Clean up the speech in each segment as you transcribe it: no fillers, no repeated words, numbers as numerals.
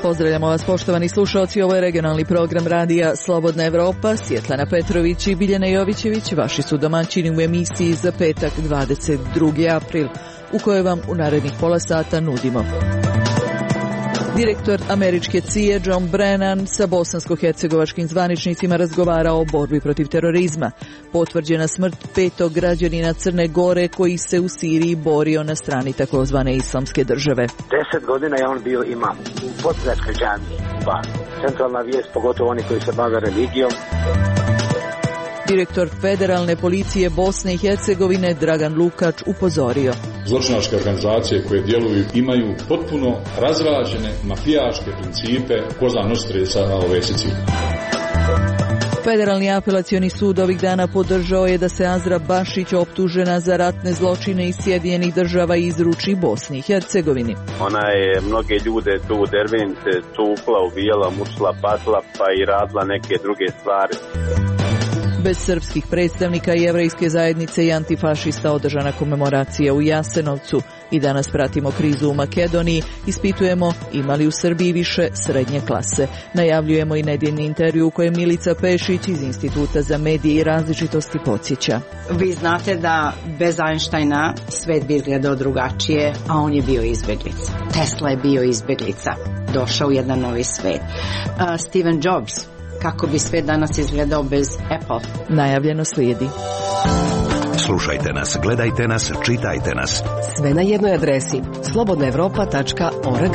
Pozdravljamo vas, poštovani slušalci, ovo je regionalni program radija Slobodna Evropa. Svjetlana Petrović i Biljana Jovićević vaši su domaćini u emisiji za petak 22. april, u kojoj vam u narednih pola sata nudimo. Direktor američke CIA John Brennan sa bosansko-hercegovačkim zvaničnicima razgovara o borbi protiv terorizma. Potvrđena smrt 5. građanina Crne Gore koji se u Siriji borio na strani takozvane islamske države. 10 godina je on bio imam u Podgradskoj džamiji. Centralna vijest, pogotovo oni koji se bave religijom. Direktor Federalne policije Bosne i Hercegovine Dragan Lukač upozorio. Zločinačke organizacije koje djeluju imaju potpuno razrađene mafijaške principe Cosa Nostre sa ove Sicilije. Federalni apelacioni sud ovih dana podržao je da se Azra Bašić, optužena za ratne zločine iz Sjedinjenih Država, izruči Bosni i Hercegovini. Ona je mnoge ljude tu u Dervente tukla, ubijala, mučila, patila pa i radila neke druge stvari. Bez srpskih predstavnika jevrejske zajednice i antifašista održana komemoracija u Jasenovcu. I danas pratimo krizu u Makedoniji, ispitujemo ima li u Srbiji više srednje klase. Najavljujemo i nedjeljni intervju u kojem Milica Pešić iz Instituta za medije i različitosti podsjeća. Vi znate da bez Einsteina svet bi izgledao drugačije, a on je bio izbjeglica. Tesla je bio izbjeglica. Došao u jedan novi svet. Steve Jobs, kako bi svet danas izgledao bez Apple? Najavljeno slijedi. Slušajte nas, gledajte nas, čitajte nas. Sve na jednoj adresi slobodnaevropa.org.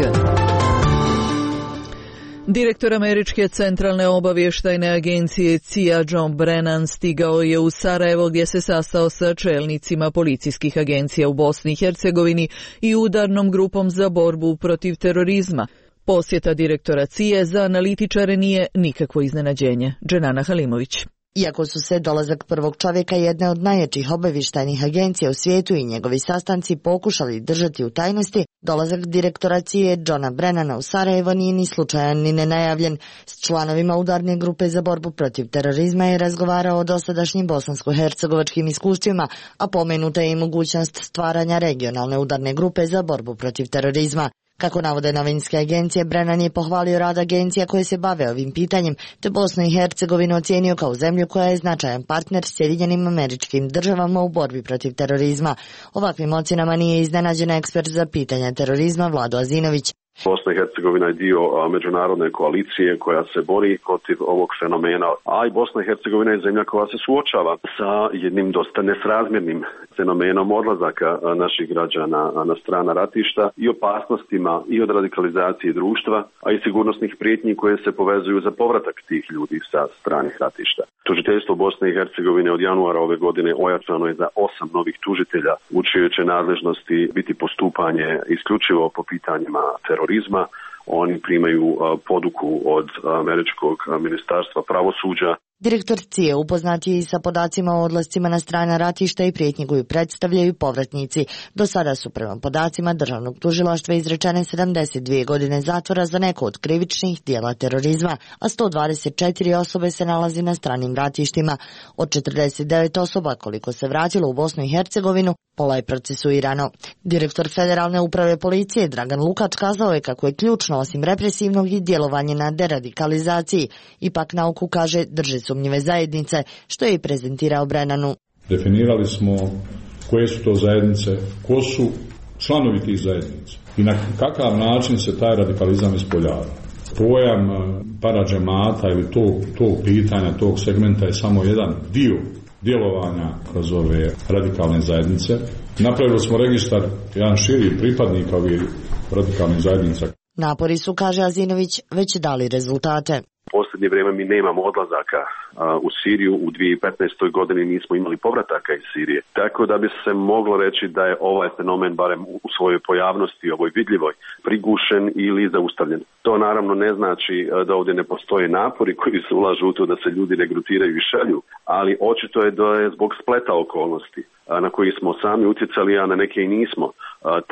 Direktor američke centralne obavještajne agencije CIA John Brennan stigao je u Sarajevo gdje se sastao sa čelnicima policijskih agencija u Bosni i Hercegovini i udarnom grupom za borbu protiv terorizma. Posjeta direktora CIA za analitičare nije nikakvo iznenađenje. Dženana Halimović. Iako su se dolazak prvog čovjeka jedne od najjačih obavještajnih agencija u svijetu i njegovi sastanci pokušali držati u tajnosti, dolazak direktora CIA Johna Brennana u Sarajevo nije ni slučajan ni nenajavljen. S članovima udarne grupe za borbu protiv terorizma je razgovarao o dosadašnjim bosansko-hercegovačkim iskustvima, a pomenuta je i mogućnost stvaranja regionalne udarne grupe za borbu protiv terorizma. Kako navode novinske agencije, Brennan je pohvalio rad agencija koje se bave ovim pitanjem, te Bosnu i Hercegovinu ocijenio kao zemlju koja je značajan partner Sjedinjenim Američkim Državama u borbi protiv terorizma. Ovakvim ocjenama nije iznenađen ekspert za pitanja terorizma Vlado Azinović. Bosna i Hercegovina je dio međunarodne koalicije koja se bori protiv ovog fenomena, a i Bosna i Hercegovina je zemlja koja se suočava sa jednim dosta nesrazmjernim fenomenom odlazaka naših građana na strana ratišta i opasnostima i od radikalizacije društva, a i sigurnosnih prijetnji koje se povezuju za povratak tih ljudi sa stranih ratišta. Tužiteljstvo Bosne i Hercegovine od januara ove godine ojačano je za 8 novih tužitelja, u čijoj će nadležnosti biti postupanje isključivo po pitanjima terorizma. Oni primaju poduku od američkog ministarstva pravosuđa. Direktor CIA upoznat je i sa podacima o odlascima na strana ratišta i prijetnji koju predstavljaju povratnici. Do sada su prema podacima državnog tužilaštva izrečene 72 godine zatvora za neko od krivičnih dijela terorizma, a 124 osobe se nalazi na stranim ratištima. Od 49 osoba koliko se vratilo u Bosnu i Hercegovinu, pola je procesuirano. Direktor Federalne uprave policije Dragan Lukač kazao je kako je ključno osim represivnog i djelovanje na deradikalizaciji. Ipak nauku kaže drže sumnjive zajednice, što je i prezentirao Brennanu. Definirali smo koje su to zajednice, ko su članovi tih zajednica i na kakav način se taj radikalizam ispoljava. Pojam paradžemata ili tog pitanja, tog segmenta je samo jedan dio djelovanja kroz ove radikalne zajednice. Napravili smo registar jedan širi pripadnika ovih radikalnih zajednica. Napori su, kaže Azinović, već dali rezultate. U posljednje vrijeme mi nemamo odlazaka u Siriju. U 2015. godini nismo imali povrataka iz Sirije. Tako da bi se moglo reći da je ovaj fenomen, barem u svojoj pojavnosti, ovoj vidljivoj, prigušen ili zaustavljen. To naravno ne znači da ovdje ne postoje napori koji se ulažu u to da se ljudi regrutiraju i šalju, ali očito je da je zbog spleta okolnosti na koji smo sami utjecali, a na neke i nismo,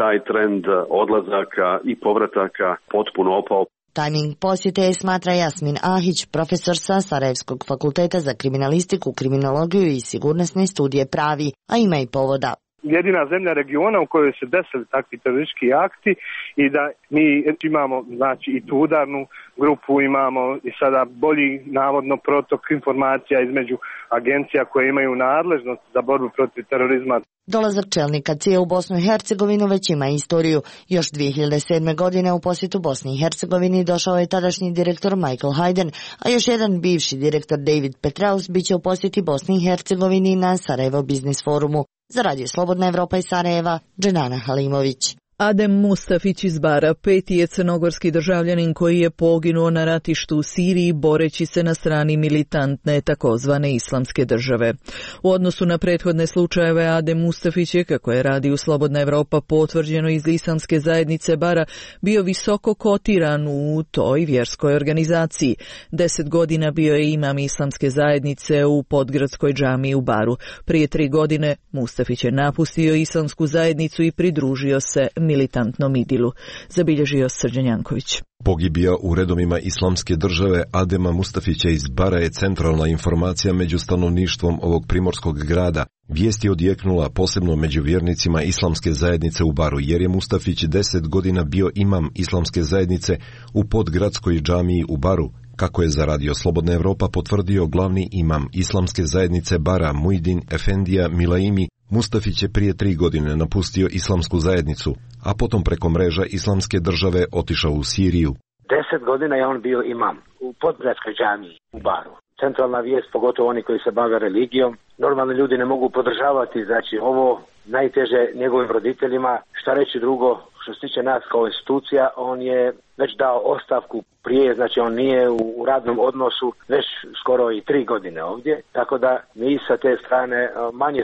taj trend odlazaka i povrataka potpuno opao. Tajming posjete je, smatra Jasmin Ahić, profesor sa Sarajevskog fakulteta za kriminalistiku, kriminologiju i sigurnosne studije pravi, a ima i povoda. Jedina zemlja regiona u kojoj se desili takvi teroristički akti i da mi imamo znači i tu udarnu grupu, imamo i sada bolji navodno protok informacija između agencija koje imaju nadležnost za borbu protiv terorizma. Dolazak čelnika CIA u Bosnu i Hercegovinu već ima istoriju. Još 2007. godine u posjetu Bosni i Hercegovini došao je tadašnji direktor Michael Hayden, a još jedan bivši direktor David Petraeus biće u posjeti Bosni i Hercegovini na Sarajevo Biznis forumu. Za Radio Slobodna Evropa iz Sarajeva, Dženana Halimović. Adem Mustafić iz Bara, peti je crnogorski državljanin koji je poginuo na ratištu u Siriji boreći se na strani militantne takozvane islamske države. U odnosu na prethodne slučajeve Adem Mustafić je, kako je Radio Slobodna Evropa potvrđeno iz islamske zajednice Bara, bio visoko kotiran u toj vjerskoj organizaciji. 10 godina bio je imam islamske zajednice u Podgradskoj džamiji u Baru. Prije 3 godine Mustafić je napustio islamsku zajednicu i pridružio se militantnom idilu, zabilježio Srđan Janković. Pogibija u redovima islamske države Adema Mustafića iz Bara je centralna informacija među stanovništvom ovog primorskog grada. Vijest je odjeknula posebno među vjernicima islamske zajednice u Baru, jer je Mustafić 10 godina bio imam islamske zajednice u Podgradskoj džamiji u Baru. Kako je za Radio Slobodna Evropa potvrdio glavni imam islamske zajednice Bara Mujdin Efendija Milaimi, Mustafić je prije 3 godine napustio islamsku zajednicu, a potom preko mreža islamske države otišao u Siriju. 10 godina je on bio imam u Podgradskoj džamiji u Baru. Centralna vijest, pogotovo oni koji se bave religijom, normalni ljudi ne mogu podržavati, znači ovo najteže njegovim roditeljima. Šta reći drugo, što se tiče nas kao institucija, on je već dao ostavku prije, znači on nije u radnom odnosu već skoro i 3 godine ovdje, tako da mi sa te strane manje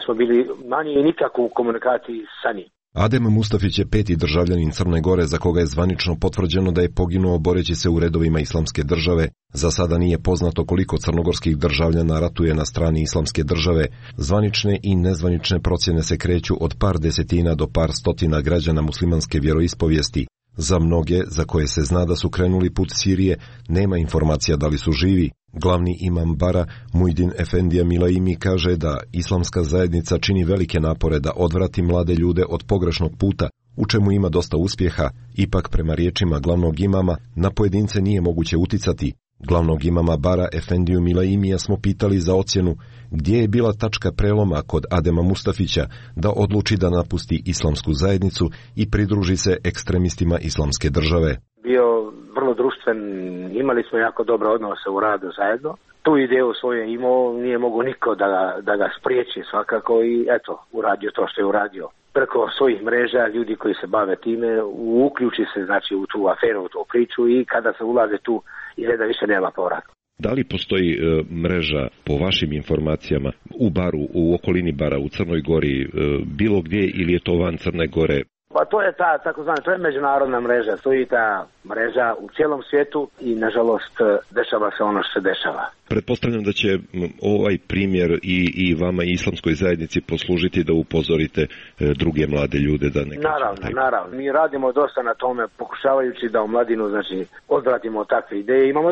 i nikako u komunikaciji sa njim. Adem Mustafić je peti državljanin Crne Gore za koga je zvanično potvrđeno da je poginuo boreći se u redovima islamske države. Za sada nije poznato koliko crnogorskih državljana ratuje na strani islamske države. Zvanične i nezvanične procjene se kreću od par desetina do par stotina građana muslimanske vjeroispovijesti. Za mnoge, za koje se zna da su krenuli put Sirije, nema informacija da li su živi. Glavni imam Bara, Mujdin Efendija Milaimi, kaže da islamska zajednica čini velike napore da odvrati mlade ljude od pogrešnog puta, u čemu ima dosta uspjeha. Ipak, prema riječima glavnog imama, na pojedince nije moguće uticati. Glavnog imama Bara Efendiju Milaimija smo pitali za ocjenu gdje je bila tačka preloma kod Adema Mustafića da odluči da napusti islamsku zajednicu i pridruži se ekstremistima islamske države. Bio vrlo društven, imali smo jako dobre odnose u radu zajedno. Tu ideju svoje imao, nije mogu niko da ga spriječi svakako i eto, uradio to što je uradio. Preko svojih mreža ljudi koji se bave time uključi se znači u tu aferu, u tu priču i kada se ulaze tu izgleda više nema povrata. Da li postoji mreža po vašim informacijama u Baru, u okolini Bara, u Crnoj Gori, bilo gdje ili je to van Crne Gore? Pa to je ta takozvana, to je međunarodna mreža, stoji ta mreža u cijelom svijetu i nažalost dešava se ono što se dešava. Pretpostavljam da će ovaj primjer i vama i islamskoj zajednici poslužiti da upozorite druge mlade ljude da ne... Naravno. Mi radimo dosta na tome, pokušavajući da u mladinu, znači, odvratimo takve ideje. Imamo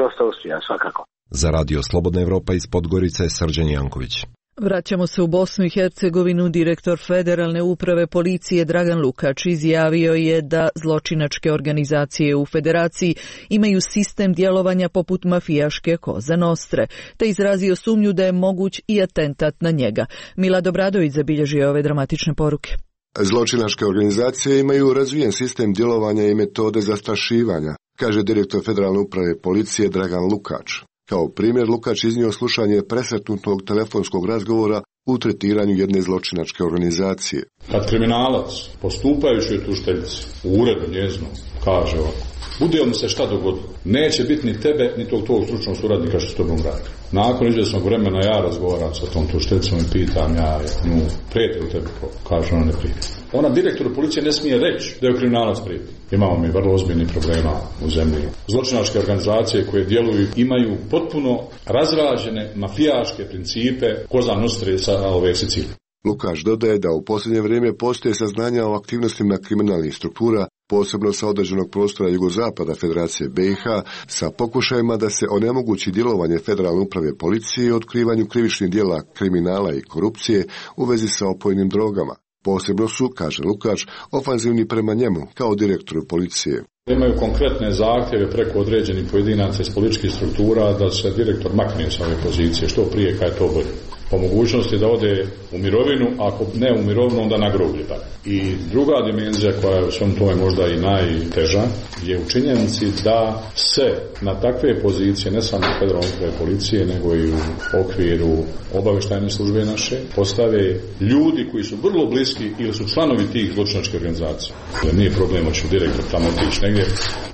dosta uspjeha, svakako. Za Radio Slobodna Evropa iz Podgorice, Srđan Janković. Vraćamo se u Bosnu i Hercegovinu. Direktor Federalne uprave policije Dragan Lukač izjavio je da zločinačke organizacije u federaciji imaju sistem djelovanja poput mafijaške Koza Nostre, te izrazio sumnju da je moguć i atentat na njega. Milad Obradović zabilježio ove dramatične poruke. Zločinačke organizacije imaju razvijen sistem djelovanja i metode zastrašivanja, kaže direktor Federalne uprave policije Dragan Lukač. Kao primjer, Lukač iznio slušanje presretnutog telefonskog razgovora u tretiranju jedne zločinačke organizacije. Kad kriminalac, postupajući u tužiteljici, u uredu njeznom, kaže ovako, bude mu se šta dogodilo, neće biti ni tebe, ni tog stručnog suradnika što s tobom radi. Nakon izvjesnog vremena ja razgovaram sa tom tužiteljicom i pitam ja nju, prijeti u tebi, kaže ona ne prijeti. Ona direktoru policije ne smije reći da je kriminalac prijeti. Imamo mi vrlo ozbiljnih problema u zemlji. Zločinačke organizacije koje djeluju imaju potpuno razrađene mafijaške principe Koza Nostre sa ove Sicilije. Lukač dodaje da u posljednje vrijeme postoje saznanja o aktivnostima kriminalnih struktura posebno sa određenog prostora jugozapada Federacije BiH, sa pokušajima da se onemogući djelovanje Federalne uprave policije i otkrivanju krivičnih djela kriminala i korupcije u vezi sa opojnim drogama. Posebno su, kaže Lukač, ofanzivni prema njemu kao direktoru policije. Imaju konkretne zahtjeve preko određenih pojedinaca iz političkih struktura da se direktor makne sa ove pozicije, što prije kad je to bolje. Po mogućnosti da ode u mirovinu, ako ne u mirovinu, onda na groblje. I druga dimenzija koja je u svom tome možda i najteža je u činjenici da se na takve pozicije, ne samo u Federalnoj upravi policije, nego i u okviru obavještajne službe naše, postave ljudi koji su vrlo bliski ili su članovi tih zločinačkih organizacija. Jer nije problem hoće direktor tamo otići negdje,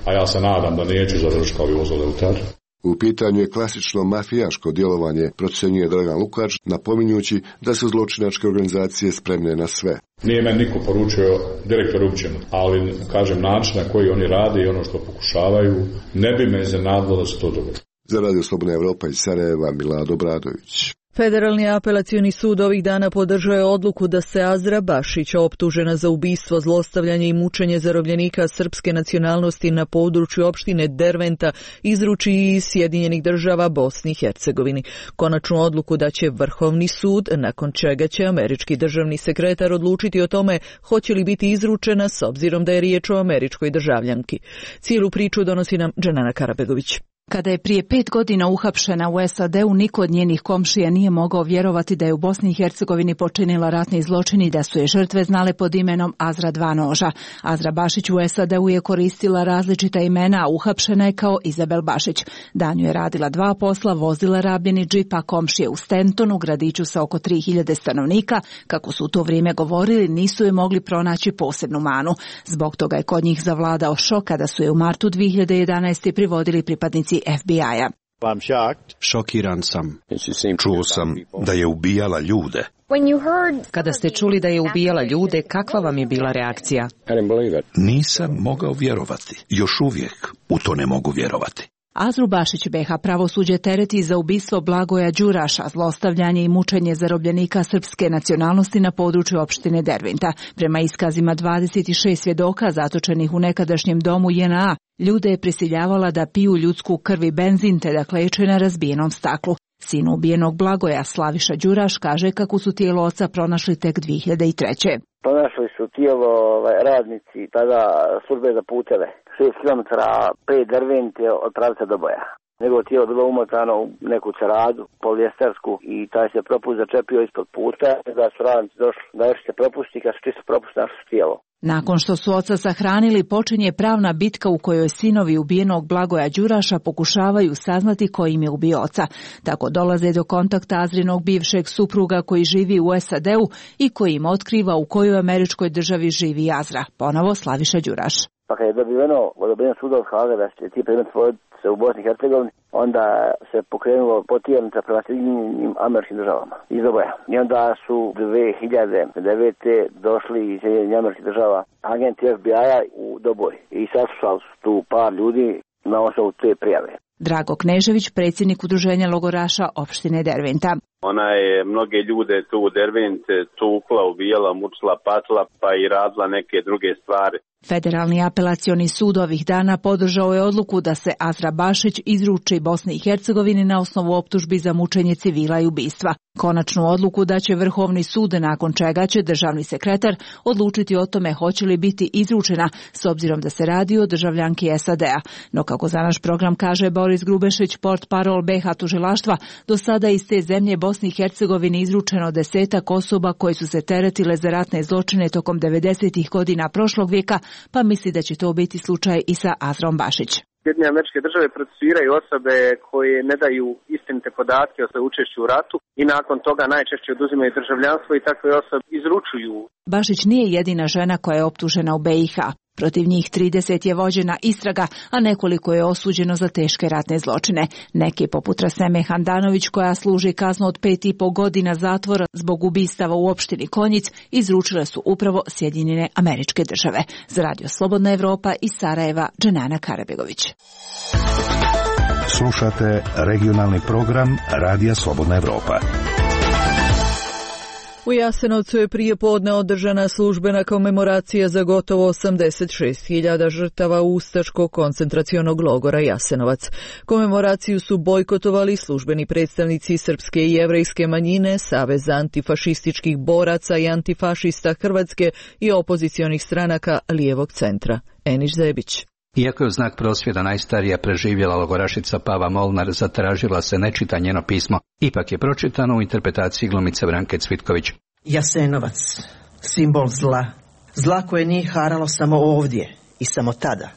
a ja se nadam da neću završiti kao i vozoleutar. U pitanju je klasično mafijaško djelovanje, procjenjuje Dragan Lukač, napominjući da su zločinačke organizacije spremne na sve. Nije meni niko poručio direktor uopćeno, ali kažem način na koji oni rade i ono što pokušavaju, ne bi me iznenadilo da se to dogodi. Za Radio Slobodna Evropa iz Sarajeva, Milad Obradović. Federalni apelacioni sud ovih dana podržao je odluku da se Azra Bašić, optužena za ubistvo, zlostavljanje i mučenje zarobljenika srpske nacionalnosti na području opštine Derventa, izruči iz Sjedinjenih Država Bosni i Hercegovini. Konačnu odluku da će Vrhovni sud, nakon čega će američki državni sekretar odlučiti o tome hoće li biti izručena s obzirom da je riječ o američkoj državljanki. Cijelu priču donosi nam Dženana Karabegović. Kada je prije 5 godina uhapšena u SAD-u, niko od njenih komšija nije mogao vjerovati da je u Bosni i Hercegovini počinila ratni zločin i da su je žrtve znale pod imenom Azra dva noža. Azra Bašić u SAD-u je koristila različita imena, a uhapšena je kao Izabel Bašić. Danju je radila 2 posla, vozila rabljeni džip, a komšije u Stentonu, gradiću sa oko 3000 stanovnika, kako su u to vrijeme govorili, nisu je mogli pronaći posebnu manu. Zbog toga je kod njih zavladao šok kada su je u martu 2011. privodili pripadnici FBI-a. Šokiran sam. Čuo sam da je ubijala ljude. Kada ste čuli da je ubijala ljude, kakva vam je bila reakcija? Nisam mogao vjerovati. Još uvijek u to ne mogu vjerovati. Azru Bašić BiH pravosuđe tereti za ubistvo Blagoja Đuraša, zlostavljanje i mučenje zarobljenika srpske nacionalnosti na području opštine Derventa. Prema iskazima 26 svjedoka zatočenih u nekadašnjem domu JNA, ljude je prisiljavala da piju ljudsku krv i benzin te da kleče na razbijenom staklu. Sin ubijenog Blagoja, Slaviša Đuraš, kaže kako su tijelo oca pronašli tek 2003. Pronašli su tijelo radnici tada službe za puteve. 6 km 5 Dervente od pravca do boja. Njegovo tijelo bilo umotano u neku ceradu, polijestersku, i taj se propust začepio ispod puta, da su radnici došli da još se propusti, kad su čisto propust našli tijelo. Nakon što su oca sahranili, počinje pravna bitka u kojoj sinovi ubijenog Blagoja Đuraša pokušavaju saznati ko im je ubio oca. Tako dolaze do kontakta Azrinog bivšeg supruga koji živi u SAD-u i koji im otkriva u kojoj američkoj državi živi Azra. Ponovo Slaviša Đuraš. Pa kad je dobiveno odobrenje suda od Haga da će ti predmet se u Bosni i Hercegovini, onda se pokrenulo potjernica prema Sjedinjenim Američkim Državama iz oboja. I onda su 2009. došli iz Sjedinjenih Američkih Država agenti FBI-a u Doboj i saslušali su tu par ljudi na osnovu te prijave. Drago Knežević, predsjednik udruženja logoraša opštine Derventa. Ona je mnoge ljude tu u Dervente tukla, ubijala, mučila, patila, pa i radila neke druge stvari. Federalni apelacioni sud ovih dana podržao je odluku da se Azra Bašić izruči Bosni i Hercegovini na osnovu optužbi za mučenje civila i ubistva. Konačnu odluku da će Vrhovni sud, nakon čega će državni sekretar odlučiti o tome hoće li biti izručena, s obzirom da se radi o državljanki SAD-a. No kako za naš program kaže Boris Grubešić, portparol BiH tužilaštva, do sada iz te zemlje Bosni i Hercegovini izručeno 10 osoba koje su se teretile za ratne zločine tokom 90-ih godina prošlog vijeka, pa misli da će to biti slučaj i sa Azrom Bašić. Sjedinjene Američke Države procesuiraju osobe koje ne daju istinite podatke o svojoj učešću u ratu i nakon toga najčešće oduzimaju državljanstvo i takve osobe izručuju. Bašić nije jedina žena koja je optužena u BiH. Protiv njih 30 je vođena istraga, a nekoliko je osuđeno za teške ratne zločine. Neki, poput Raseme Handanović, koja služi kaznu od 5,5 godina zatvora zbog ubistava u opštini Konjic, izručile su upravo Sjedinjene Američke Države. Za Radio Slobodna Evropa iz Sarajeva, Dženana Karabegović. Slušate regionalni program Radija Slobodna Evropa. U Jasenovcu je prije podne održana službena komemoracija za gotovo 86.000 žrtava ustaškog koncentracionog logora Jasenovac. Komemoraciju su bojkotovali službeni predstavnici srpske i jevrejske manjine, Savez antifašističkih boraca i antifašista Hrvatske i opozicionih stranaka lijevog centra. Eniš Zebić. Iako je u znak prosvjeda najstarija preživjela logorašica Pava Molnar zatražila se ne čita njeno pismo, ipak je pročitano u interpretaciji glumice Branke Cvitković. Jasenovac, simbol zla. Zla koje nije haralo samo ovdje i samo tada.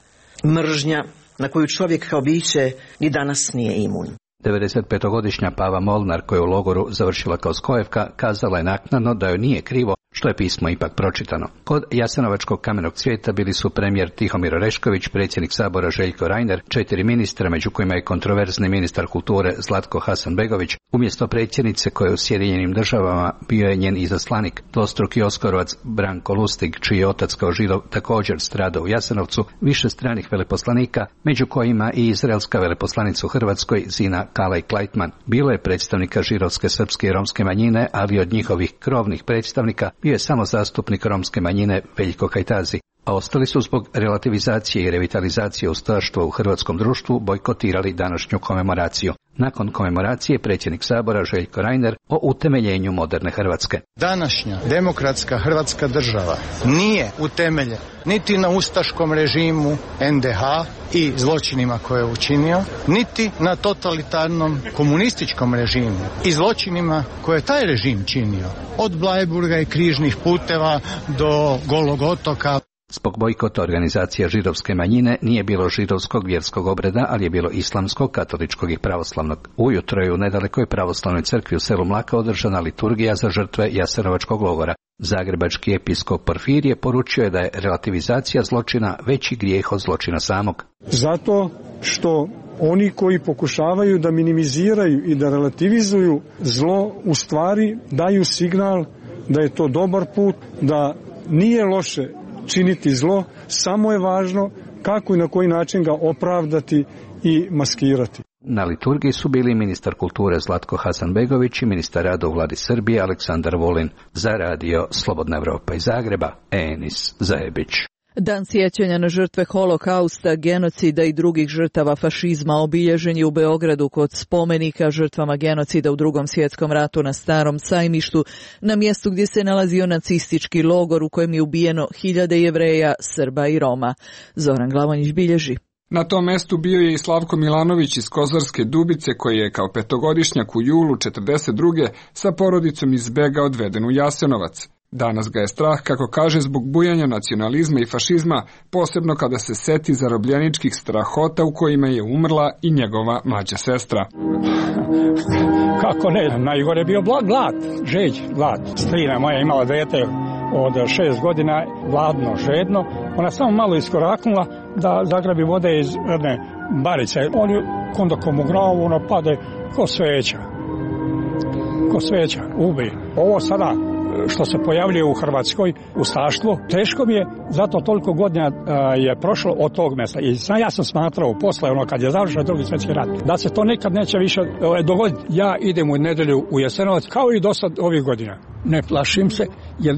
Mržnja na koju čovjek kao biće ni danas nije imun. 95-godišnja Pava Molnar, koja je u logoru završila kao skojevka, kazala je naknadno da joj nije krivo što je pismo ipak pročitano. Kod Jasenovačkog kamenog cvijeta bili su premijer Tihomir Orešković, predsjednik Sabora Željko Reiner, 4 ministra, među kojima je kontroverzni ministar kulture Zlatko Hasanbegović. Umjesto predsjednice koja je u Sjedinjenim Državama bio je njen izaslanik, dvostruki Oskorovac Branko Lustig, čiji je otac kao Židov također stradao u Jasenovcu, više stranih veleposlanika, među kojima i izraelska veleposlanica u Hrvatskoj Zina Kalaj Klajtman. Bilo je predstavnika židovske, srpske i romske manjine, ali od njihovih krovnih predstavnika bio je samo zastupnik romske manjine Veljko Kajtazi, a ostali su zbog relativizacije i revitalizacije ustaštva u hrvatskom društvu bojkotirali današnju komemoraciju. Nakon komemoracije predsjednik Sabora Željko Reiner o utemeljenju moderne Hrvatske. Današnja demokratska Hrvatska država nije utemeljena niti na ustaškom režimu NDH i zločinima koje je učinio, niti na totalitarnom komunističkom režimu i zločinima koje je taj režim činio, od Bleiburga i križnih puteva do Golog otoka. Zbog bojkota organizacija židovske manjine nije bilo židovskog vjerskog obreda, ali je bilo islamskog, katoličkog i pravoslavnog. Ujutro je u nedalekoj pravoslavnoj crkvi u selu Mlaka održana liturgija za žrtve Jasenovačkog logora. Zagrebački episkop Porfirije poručio je da je relativizacija zločina veći grijeh od zločina samog. Zato što oni koji pokušavaju da minimiziraju i da relativizuju zlo, u stvari daju signal da je to dobar put, da nije loše činiti zlo, samo je važno kako i na koji način ga opravdati i maskirati. Na liturgiji su bili ministar kulture Zlatko Hasanbegović i ministar rada u vladi Srbije Aleksandar Vulin. Za radio Slobodna Evropa iz Zagreba, Enis Zajebić. Dan sjećanja na žrtve holokausta, genocida i drugih žrtava fašizma obilježen je u Beogradu kod spomenika žrtvama genocida u Drugom svjetskom ratu na Starom sajmištu, na mjestu gdje se nalazio nacistički logor u kojem je ubijeno hiljade Jevreja, Srba i Roma. Zoran Glavonjić bilježi. Na tom mestu bio je i Slavko Milanović iz Kozarske Dubice, koji je kao petogodišnjak u julu 1942. sa porodicom iz Bega odveden u Jasenovac. Danas ga je strah, kako kaže, zbog bujanja nacionalizma i fašizma, posebno kada se seti zarobljeničkih strahota u kojima je umrla i njegova mlađa sestra. Kako ne, najgore je bio glad, žeđ, glad. Strina moja imala dete od 6 godina, gladno, žedno. Ona samo malo iskoraknula da zagrabi vode iz jedne barice. On je kondokom u glavu, ono pade ko sveća, ubi. Ovo sada što se pojavljuje u Hrvatskoj, ustaštvo, teško mi je, zato toliko godina je prošlo od tog mjesta. I ja sam smatrao posle, kad je završen Drugi svjetski rat, da se to nikad neće više dogoditi. Ja idem u nedjelju u Jasenovac, kao i do sad ovih godina. Ne plašim se, jer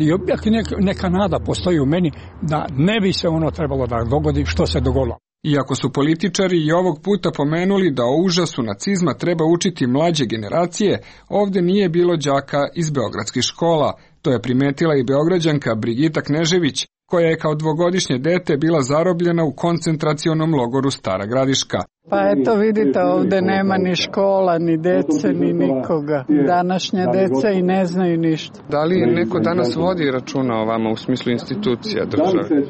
neka nada postoji u meni da ne bi se ono trebalo da dogodi što se dogodilo. Iako su političari i ovog puta pomenuli da o užasu nacizma treba učiti mlađe generacije, ovdje nije bilo đaka iz beogradskih škola. To je primetila i Beograđanka Brigita Knežević, koja je kao dvogodišnje dete bila zarobljena u koncentracionom logoru Stara Gradiška. Pa eto vidite, ovdje nema ni škola, ni dece, ni nikoga. Današnja deca i ne znaju ništa. Da li neko danas vodi računa o vama u smislu institucija države?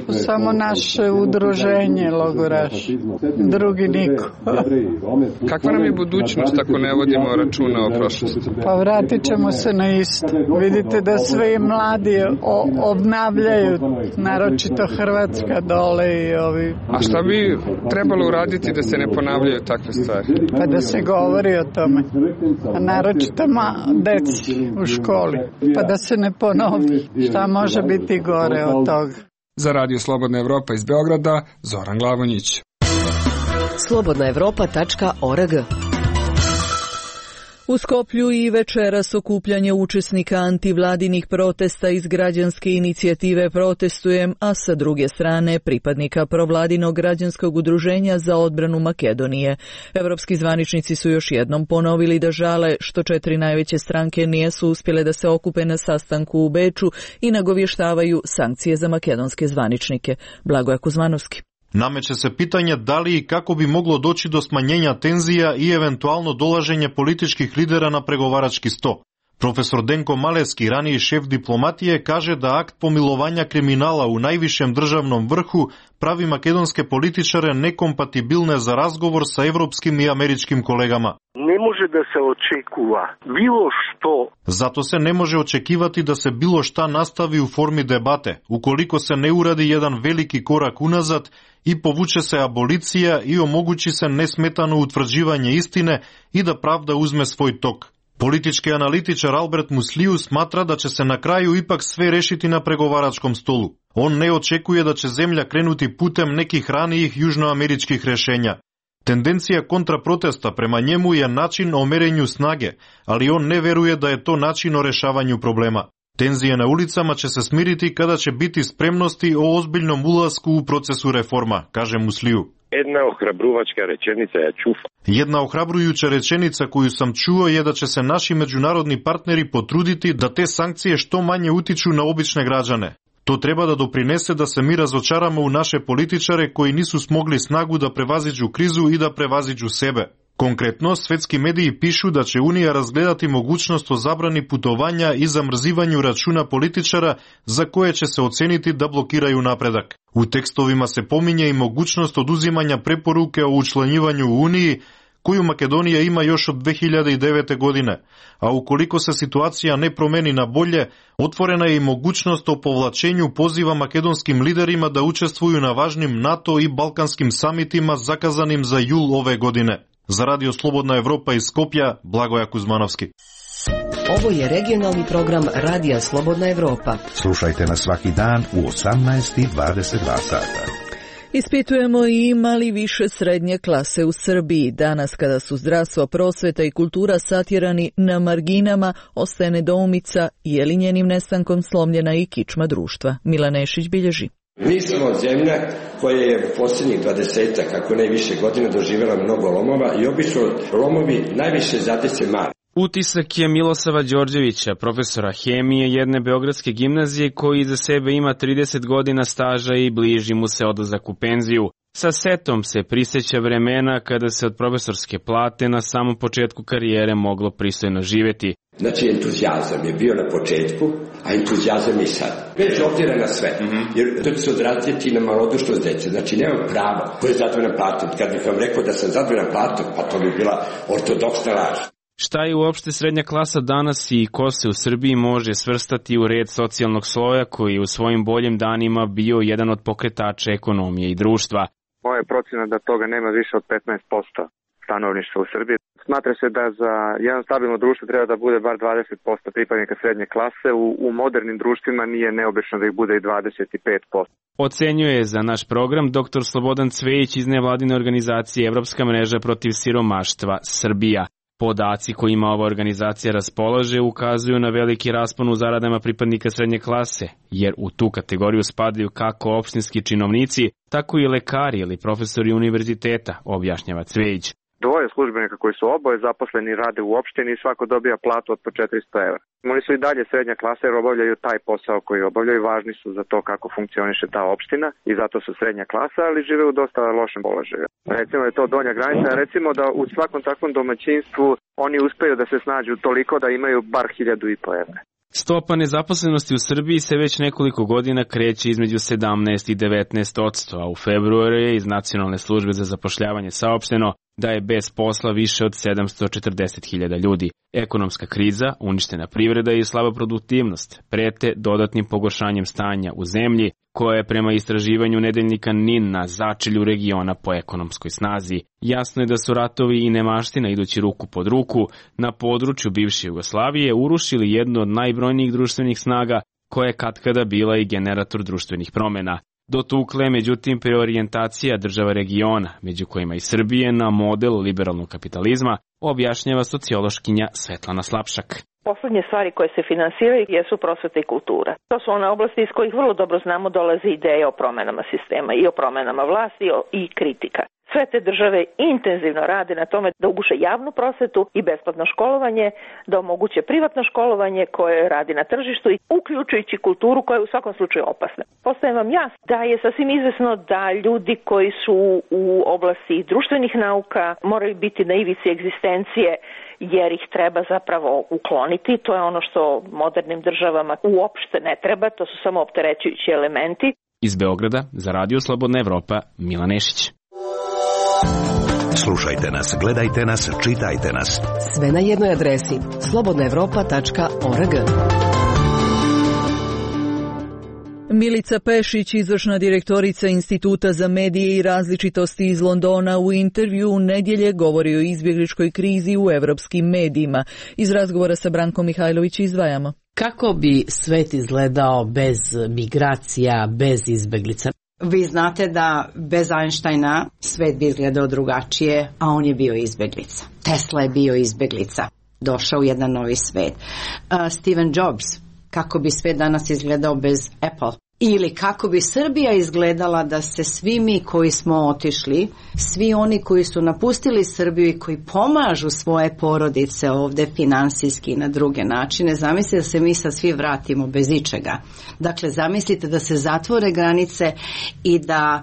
Samo naše udruženje logoraši, drugi niko. Kakva nam je budućnost ako ne vodimo računa o prošlosti? Pa vratit ćemo se na isto. Vidite da sve mladi obnavljaju, naročito Hrvatska dole i ovi. A šta bi trebalo uraditi da se ne ponavljaju takve stvari? Pa da se govori o tome. A naročito deci u školi. Pa da se ne ponovi. Šta može biti gore od toga? Za radio Slobodna Evropa iz Beograda, Zoran Glavonjić. slobodnaevropa.org. U Skoplju i večeras okupljanje učesnika antivladinih protesta iz građanske inicijative Protestujem, a sa druge strane pripadnika provladinog građanskog udruženja za odbranu Makedonije. Evropski zvaničnici su još jednom ponovili da žale što 4 najveće stranke nisu uspjele da se okupe na sastanku u Beču i nagovještavaju sankcije za makedonske zvaničnike. Blagoje Kuzmanovski. Nameće se pitanje da li i kako bi moglo doći do smanjenja tenzija i eventualno dolaženje političkih lidera na pregovarački sto. Profesor Denko Maleski, raniji šef diplomatije, kaže da akt pomilovanja kriminala u najvišem državnom vrhu pravi makedonske političare nekompatibilne za razgovor sa evropskim i američkim kolegama. Ne može da se očekuva bilo što. Zato se ne može očekivati da se bilo šta nastavi u formi debate, ukoliko se ne uradi jedan veliki korak unazad i povuče se abolicija i omogući se nesmetano utvrđivanje istine i da pravda uzme svoj tok. Politički analitičar Albert Musliju smatra da će se na kraju ipak sve rešiti na pregovaračkom stolu. On ne očekuje da će zemlja krenuti putem nekih ranijih južnoameričkih rešenja. Tendencija kontraprotesta prema njemu je način o merenju snage, ali on ne veruje da je to način o rešavanju problema. Tenzije na ulicama će se smiriti kada će biti spremnosti o ozbiljnom ulasku u procesu reforma, kaže Musliju. Jedna ohrabruvačka rečenica je čufa. Jedna ohrabrujuća rečenica koju sam čuo je da će se naši međunarodni partneri potruditi da te sankcije što manje utiču na obične građane. To treba da doprinese da se mi razočaramo u naše političare koji nisu smogli snagu da prevaziđu krizu i da prevaziđu sebe. Konkretno, svetski mediji pišu da će Unija razgledati mogućnost o zabrani putovanja i zamrzivanju računa političara za koje će se oceniti da blokiraju napredak. U tekstovima se pominje i mogućnost oduzimanja preporuke o učlanjivanju u Uniji, koju Makedonija ima još od 2009. godine, a ukoliko se situacija ne promeni na bolje, otvorena je i mogućnost o povlačenju poziva makedonskim liderima da učestvuju na važnim NATO i balkanskim samitima zakazanim za jul ove godine. Za Radio Slobodna Evropa iz Skopja, Blagoje Kuzmanovski. Ovo je regionalni program Radija Slobodna Evropa. Slušajte nas svaki dan u 18:22 sata. Ispitujemo i ima li više srednje klase u Srbiji. Danas kada su zdravstvo, prosveta i kultura satjerani na marginama, ostaje nedoumica je li njenim nestankom slomljena i kičma društva. Milan Nešić bilježi. Mi smo zemlja koja je u posljednjih 20, kako ne više godina, doživjela mnogo lomova i obično lomovi najviše zadese mali. Utisak je Milosava Đorđevića, profesora hemije jedne beogradske gimnazije koji iza sebe ima 30 godina staža i bliži mu se odlazak u penziju. Sa setom se prisjeća vremena kada se od profesorske plate na samom početku karijere moglo pristojno živjeti. Znači, entuzijazam je bio na početku, a entuzijazam je i sad. Bez obzira na sve, jer to će se odraziti na malodušnost dece. Znači, nemam pravo ko je zadovoljan platom. Kad bih vam rekao da sam zadovoljan platom, pa to bi bila ortodoksna laž. Šta je uopšte srednja klasa danas i ko se u Srbiji može svrstati u red socijalnog sloja koji je u svojim boljim danima bio jedan od pokretača ekonomije i društva? Moja procjena da toga nema više od 15% stanovništva u Srbiji. Smatra se da za jedno stabilno društvo treba da bude bar 20% pripadnika srednje klase. U modernim društvima nije neobično da ih bude i 25%. Ocenjuje za naš program dr. Slobodan Cvejić iz nevladine organizacije Evropska mreža protiv siromaštva Srbija. Podaci kojima ova organizacija raspolaže ukazuju na veliki raspon u zaradama pripadnika srednje klase, jer u tu kategoriju spadaju kako opštinski činovnici, tako i lekari ili profesori univerziteta, objašnjava Cvejić. Dvoje službenika koji su oboje zaposleni rade u opštini i svako dobija platu od po 400 evra. Oni su i dalje srednja klasa jer obavljaju taj posao koji obavljaju, važni su za to kako funkcioniše ta opština i zato su srednja klasa, ali žive u dosta lošem položaju. Recimo je to donja granica, recimo da u svakom takvom domaćinstvu oni uspeju da se snađu toliko da imaju bar 1.500 evra. Stopa nezaposlenosti u Srbiji se već nekoliko godina kreće između 17 i 19%, a u februaru je iz Nacionalne službe za zapošljavanje saopšteno da je bez posla više od 740.000 ljudi. Ekonomska kriza, uništena privreda i slaba produktivnost prete dodatnim pogoršanjem stanja u zemlji, koja je prema istraživanju nedeljnika NIN na začelju regiona po ekonomskoj snazi. Jasno je da su ratovi i nemaština idući ruku pod ruku na području bivše Jugoslavije urušili jednu od najbrojnijih društvenih snaga koja je katkada bila i generator društvenih promjena. Dotukle, međutim, preorijentacija država regiona, među kojima i Srbije, na model liberalnog kapitalizma, objašnjava sociološkinja Svetlana Slapšak. Poslednje stvari koje se finansiraju jesu prosveta i kultura. To su one oblasti iz kojih vrlo dobro znamo dolaze ideje o promenama sistema i o promenama vlasti i kritika. Sve te države intenzivno rade na tome da uguše javnu prosvetu i besplatno školovanje, da omoguće privatno školovanje koje radi na tržištu i uključujući kulturu koja je u svakom slučaju opasna. Postaje vam jasno da je sasvim izvesno da ljudi koji su u oblasti društvenih nauka moraju biti na ivici egzistencije jer ih treba zapravo ukloniti. To je ono što modernim državama uopšte ne treba, to su samo opterećujući elementi. Iz Beograda za Radio Slobodna Evropa, Milan Nešić. Slušajte nas, gledajte nas, čitajte nas. Sve na jednoj adresi slobodnaevropa.org. Milica Pešić, izvršna direktorica Instituta za medije i različitosti iz Londona, u intervju u nedjelje govori o izbjegličkoj krizi u evropskim medijima. Iz razgovora sa Brankom Mihajlović izdvajamo. Kako bi svet izgledao bez migracija, bez izbjeglica? Vi znate da bez Einsteina svet bi izgledao drugačije, a on je bio izbjeglica. Tesla je bio izbjeglica. Došao u jedan novi svet. Steve Jobs, kako bi svet danas izgledao bez Apple? Ili kako bi Srbija izgledala da se svi mi koji smo otišli, svi oni koji su napustili Srbiju i koji pomažu svoje porodice ovdje finansijski i na druge načine, zamislite da se mi sad svi vratimo bez ičega. Dakle, zamislite da se zatvore granice i da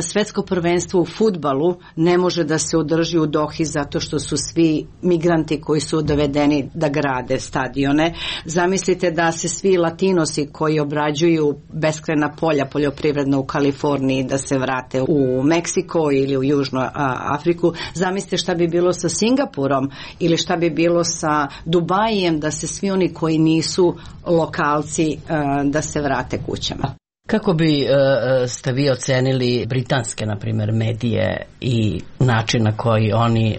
svetsko prvenstvo u fudbalu ne može da se održi u Dohi zato što su svi migranti koji su dovedeni da grade stadione. Zamislite da se svi Latinosi koji obrađuju beskrajna polja poljoprivredna u Kaliforniji da se vrate u Meksiko ili u Južnu Afriku. Zamislite šta bi bilo sa Singapurom ili šta bi bilo sa Dubajem da se svi oni koji nisu lokalci da se vrate kućama. Kako bi ste vi ocenili britanske, na primjer, medije i način na koji oni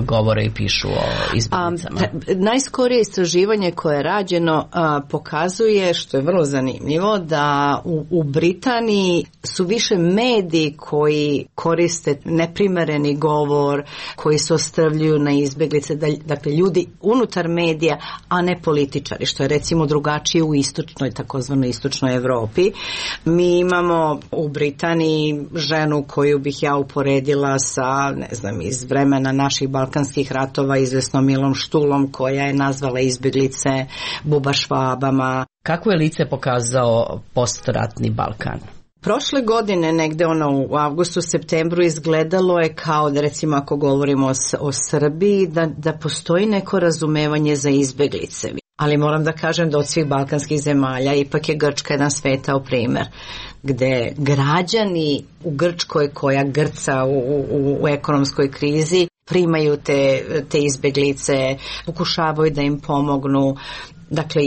govore i pišu o izbjeglicama? Najskorije istraživanje koje je rađeno pokazuje, što je vrlo zanimljivo, da u Britaniji su više mediji koji koriste neprimereni govor, koji se ostrvljuju na izbjeglice, dakle ljudi unutar medija, a ne političari, što je recimo drugačije u istočnoj, takozvanoj istočnoj Evropi. Mi imamo u Britaniji ženu koju bih ja uporedila sa, ne znam, iz vremena naših balkanskih ratova, izvesnom Milom Štulom, koja je nazvala izbjeglice bubašvabama. Kako je lice pokazao postratni Balkan? Prošle godine, negde u avgustu, septembru, izgledalo je kao da, recimo ako govorimo o Srbiji, da postoji neko razumevanje za izbjeglice. Ali moram da kažem da od svih balkanskih zemalja ipak je Grčka jedan svetao primjer, gde građani u Grčkoj koja grca u ekonomskoj krizi primaju te izbjeglice, pokušavaju da im pomognu. Dakle,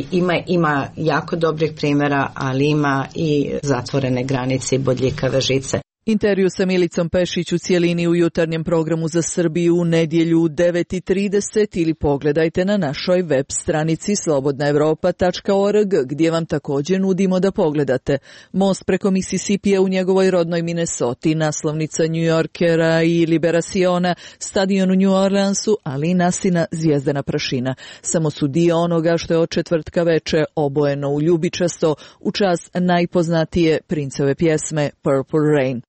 ima jako dobrih primjera, ali ima i zatvorene granice i bodljikave žice. Intervju sa Milicom Pešić u cijelini u jutarnjem programu za Srbiju u nedjelju u 9:30 ili pogledajte na našoj web stranici slobodnaevropa.org gdje vam također nudimo da pogledate most preko Mississippija u njegovoj rodnoj Minnesoti, naslovnica New Yorkera i Liberaciona, stadion u New Orleansu, ali i Nasina zvijezdena prašina. Samo su dio onoga što je od četvrtka veče obojeno u ljubičasto u čast najpoznatije princeve pjesme Purple Rain.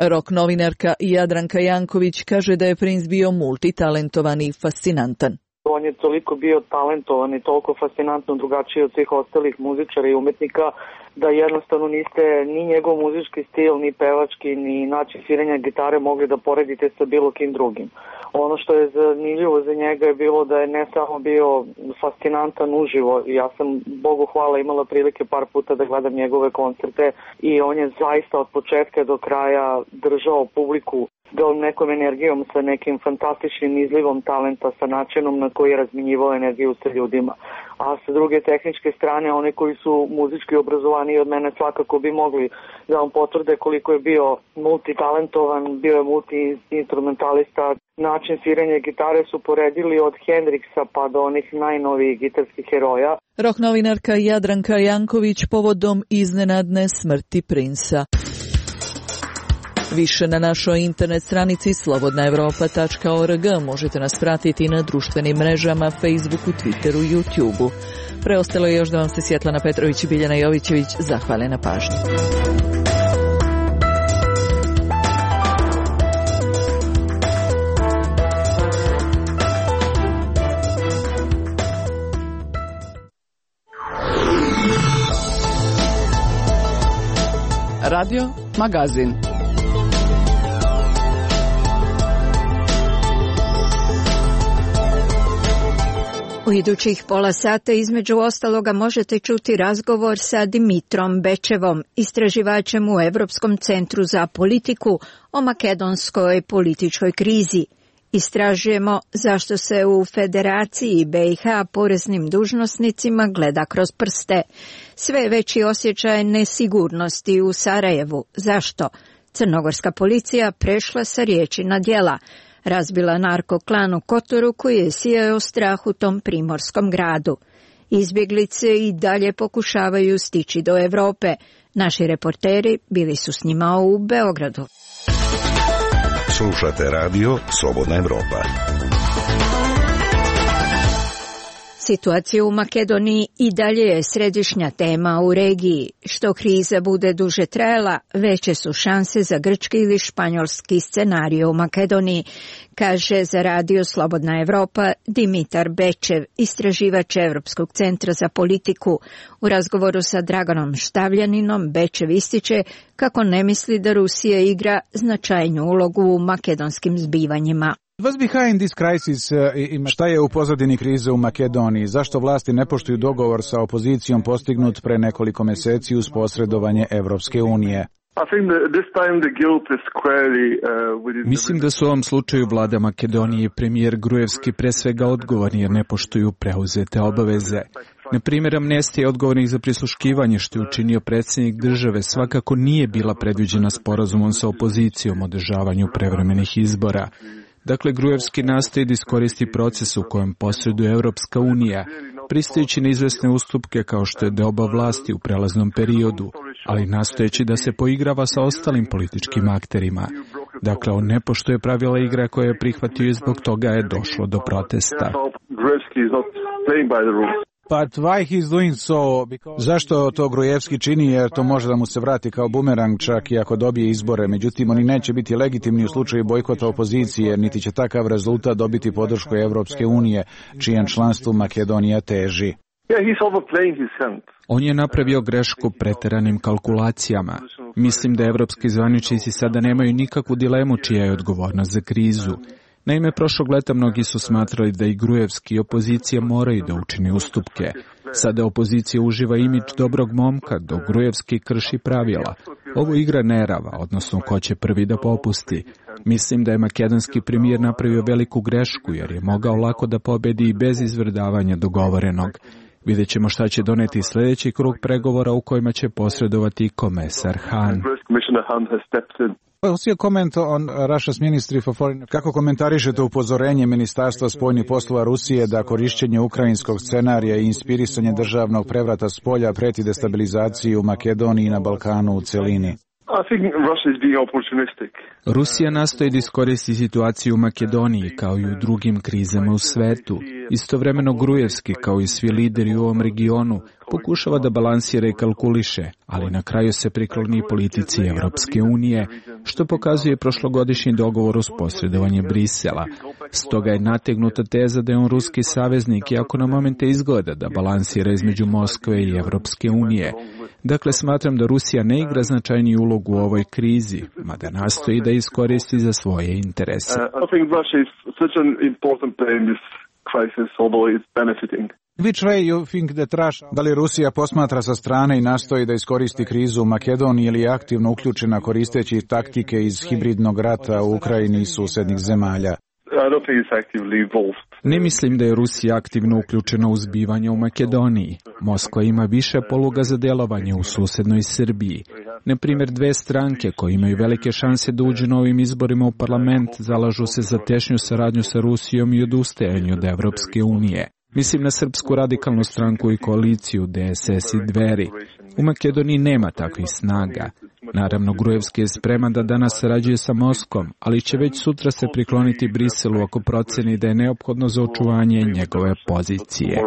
Rock novinarka Jadranka Janković kaže da je princ bio multitalentovan i fascinantan. On je toliko bio talentovan i toliko fascinantno drugačiji od svih ostalih muzičara i umetnika da jednostavno niste ni njegov muzički stil, ni pevački, ni način sviranja gitare mogli da poredite sa bilo kim drugim. Ono što je zanimljivo za njega je bilo da je ne samo bio fascinantan uživo, ja sam, Bogu hvala, imala prilike par puta da gledam njegove koncerte i on je zaista od početka do kraja držao publiku nekom energijom, sa nekim fantastičnim izlivom talenta, sa načinom na koji je razminjivao energiju sa ljudima. A sa druge tehničke strane, oni koji su muzički obrazovani od mene svakako bi mogli da vam potvrde koliko je bio multitalentovan, bio je multi-instrumentalista. Način sviranja gitare su poredili od Hendrixa pa do onih najnovijih gitarskih heroja. Rock novinarka Jadranka Janković povodom iznenadne smrti princa. Više na našoj internet stranici slobodnaevropa.org. Možete nas pratiti na društvenim mrežama, Facebooku, Twitteru i YouTubeu. Preostalo je još da vam se Svjetlana Petrović i Biljana Jovićević zahvale na pažnji. Radio Magazin. U idućih pola sata između ostaloga možete čuti razgovor sa Dimitrom Bečevom, istraživačem u Europskom centru za politiku o makedonskoj političkoj krizi. Istražujemo zašto se u Federaciji BiH poreznim dužnosnicima gleda kroz prste. Sve veći osjećaj nesigurnosti u Sarajevu. Zašto? Crnogorska policija prešla sa riječi na djela. Razbila narkoklan u Kotoru koji je sijao strah u tom primorskom gradu. Izbjeglice i dalje pokušavaju stići do Europe. Naši reporteri bili su s njima u Beogradu. Slušate radio Slobodna Evropa. Situacija u Makedoniji i dalje je središnja tema u regiji. Što kriza bude duže trajala, veće su šanse za grčki ili španjolski scenarij u Makedoniji, kaže za radio Slobodna Evropa Dimitar Bečev, istraživač Europskog centra za politiku. U razgovoru sa Draganom Štavljaninom Bečev ističe kako ne misli da Rusija igra značajnu ulogu u makedonskim zbivanjima. Šta je u pozadini krize u Makedoniji? Zašto vlasti ne poštuju dogovor sa opozicijom postignut pre nekoliko mjeseci uz posredovanje Evropske unije? Mislim da su u ovom slučaju vlada Makedonije i premijer Grujevski pre svega odgovorni jer ne poštuju preuzete obaveze. Na primjer, amnestija odgovornih za prisluškivanje što je učinio predsjednik države svakako nije bila predviđena sporazumom sa opozicijom o održavanju prevremenih izbora. Dakle, Grujevski nastoji da iskoristi proces u kojem posreduje Europska unija, pristajući na izvesne ustupke kao što je deoba vlasti u prelaznom periodu, ali nastojeći da se poigrava sa ostalim političkim akterima. Dakle, on ne poštuje pravila igre koje je prihvatio i zbog toga je došlo do protesta. Zašto to Grujevski čini? Jer to može da mu se vrati kao bumerang čak i ako dobije izbore. Međutim, oni neće biti legitimni u slučaju bojkota opozicije, niti će takav rezultat dobiti podršku Evropske unije, čijem članstvu Makedonija teži. On je napravio grešku preteranim kalkulacijama. Mislim da evropski zvaničnici sada nemaju nikakvu dilemu čija je odgovornost za krizu. Naime, prošlog leta mnogi su smatrali da i Grujevski i opozicija moraju da učini ustupke. Sada opozicija uživa imidž dobrog momka, dok Grujevski krši pravila. Ovo igra nerava, odnosno ko će prvi da popusti. Mislim da je makedonski premijer napravio veliku grešku, jer je mogao lako da pobedi i bez izvrdavanja dogovorenog. Vidjet ćemo šta će doneti sljedeći krug pregovora u kojima će posredovati komesar Han. Kako komentarišete upozorenje Ministarstva spoljnih poslova Rusije da korišćenje ukrajinskog scenarija i inspirisanje državnog prevrata s polja preti destabilizaciji u Makedoniji i na Balkanu u celini? Rusija nastoji da iskoristi situaciju u Makedoniji kao i u drugim krizama u svetu. Istovremeno Grujevski, kao i svi lideri u ovom regionu, pokušava da balansira i kalkuliše, ali na kraju se prikloni politici Evropske unije, što pokazuje prošlogodišnji dogovor uz posredovanje Brisela. Stoga je nategnuta teza da je on ruski saveznik, iako na momente izgleda da balansira između Moskve i Evropske unije. Dakle, smatram da Rusija ne igra značajniju ulogu u ovoj krizi, mada nastoji da iskoristi za svoje interese. Da li Rusija posmatra sa strane i nastoji da iskoristi krizu u Makedoniji ili je aktivno uključena koristeći taktike iz hibridnog rata u Ukrajini i susednih zemalja? Ne mislim da je Rusija aktivno uključena u zbivanje u Makedoniji. Moskva ima više poluga za djelovanje u susednoj Srbiji. Na primjer, dve stranke koje imaju velike šanse da uđu na ovim izborima u parlament zalažu se za tešnju saradnju sa Rusijom i odustajanju od Evropske unije. Mislim na Srpsku radikalnu stranku i koaliciju DSS i Dveri. U Makedoniji nema takvih snaga. Naravno, Gruevski je spreman da danas sarađuje sa Moskvom, ali će već sutra se prikloniti Briselu ako proceni da je neophodno za očuvanje njegove pozicije.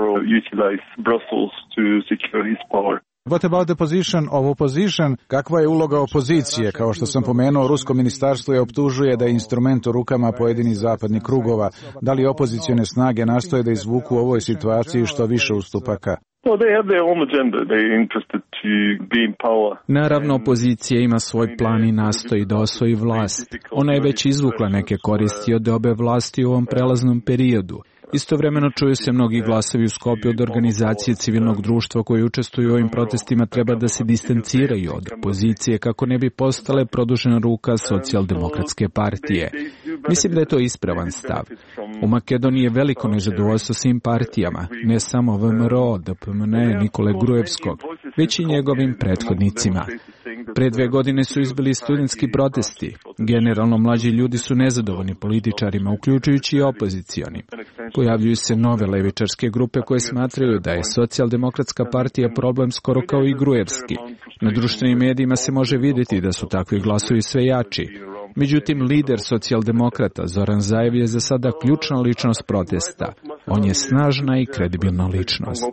What about the position of opposition? Kakva je uloga opozicije? Kao što sam pomenuo, rusko ministarstvo je optužuje da je instrument u rukama pojedinih zapadnih krugova. Da li opozicione snage nastoje da izvuku u ovoj situaciji što više ustupaka? Naravno, opozicija ima svoj plan i nastoji da osvoji vlast. Ona je već izvukla neke koristi od obe vlasti u ovom prelaznom periodu. Istovremeno čuju se mnogi glasovi u Skopju od organizacije civilnog društva koji učestvuju u ovim protestima treba da se distanciraju od opozicije kako ne bi postale produžena ruka socijaldemokratske partije. Mislim da je to ispravan stav. U Makedoniji je veliko nezadovoljstvo svim partijama, ne samo VMRO, DPMN, Nikole Gruevskog, već i njegovim prethodnicima. Pre 2 godine su izbili studentski protesti. Generalno, mlađi ljudi su nezadovoljni političarima, uključujući i opozicionim. Pojavljuju se nove levičarske grupe koje smatraju da je socijaldemokratska partija problem skoro kao i Gruevski. Na društvenim medijima se može vidjeti da su takvi glasovi sve jači. Međutim, lider socijaldemokrata Zoran Zaev je za sada ključna ličnost protesta. On je snažna i kredibilna ličnost.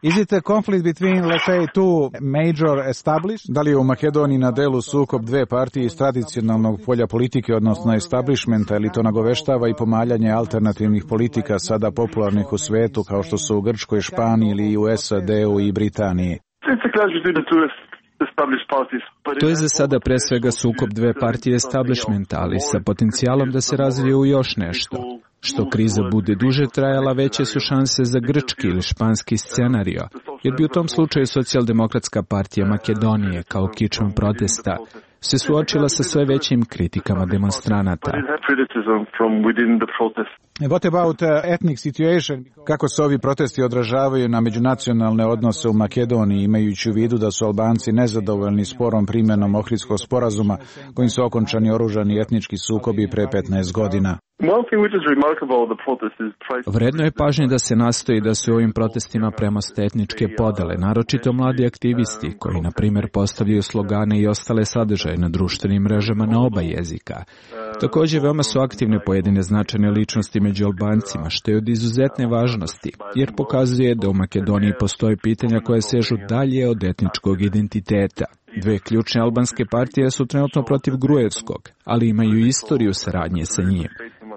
Is it a conflict between, let's say, two major established? Da li je u Makedoniji na delu sukob dve partije iz tradicionalnog polja politike, odnosno establishmenta, ili to nagoveštava i pomaljanje alternativnih politika sada popularnih u svetu, kao što su u Grčkoj, Španiji ili u SAD-u i Britaniji? To je za sada pre svega sukob dve partije establishmenta, ali sa potencijalom da se razvije u još nešto. Što kriza bude duže trajala, veće su šanse za grčki ili španski scenario, jer bi u tom slučaju socijaldemokratska partija Makedonije, kao kičma protesta, se suočila sa sve većim kritikama demonstranata. What about ethnic situation? Kako se ovi protesti odražavaju na međunacionalne odnose u Makedoniji, imajući u vidu da su Albanci nezadovoljni sporom primjenom Ohridskog sporazuma, kojim su okončani oružani etnički sukobi pre 15 godina? Vredno je pažnje da se nastoji da se u ovim protestima premoste etničke podele, naročito mladi aktivisti koji, na primjer, postavljaju slogane i ostale sadržaje na društvenim mrežama na oba jezika. Također, veoma su aktivne pojedine značajne ličnosti među Albancima, što je od izuzetne važnosti, jer pokazuje da u Makedoniji postoje pitanja koje sežu dalje od etničkog identiteta. Dve ključne albanske partije su trenutno protiv Gruevskog, ali imaju istoriju saradnje sa njim.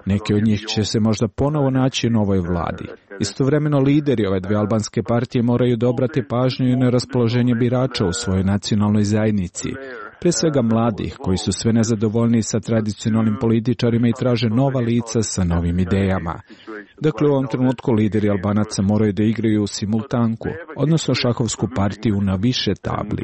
Neke od njih će se možda ponovo naći u novoj vladi. Istovremeno, lideri ove dve albanske partije moraju da obrate pažnju i na raspoloženje birača u svojoj nacionalnoj zajednici. Pre svega mladih, koji su sve nezadovoljniji sa tradicionalnim političarima i traže nova lica sa novim idejama. Dakle, u ovom trenutku lideri Albanaca moraju da igraju u simultanku, odnosno šahovsku partiju na više tabli.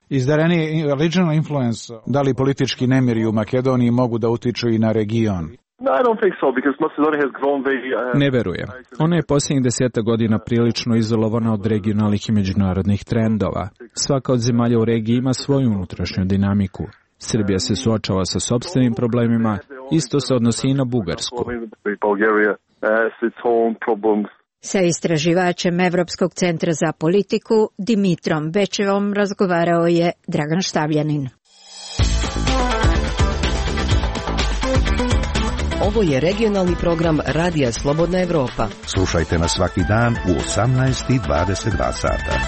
Is there any regional influence? Da li politički nemiri u Makedoniji mogu da utiču i na region? Ne verujem. Ona je posljednjih 10 godina prilično izolovana od regionalnih i međunarodnih trendova. Svaka od zemalja u regiji ima svoju unutrašnju dinamiku. Srbija se suočava sa sopstvenim problemima, isto se odnosi i na Bugarsku. Sa istraživačem Evropskog centra za politiku Dimitrom Bečevom razgovarao je Dragan Štavljanin. Ovo je regionalni program Radija Slobodna Evropa. Slušajte nas svaki dan u 18:22 sata.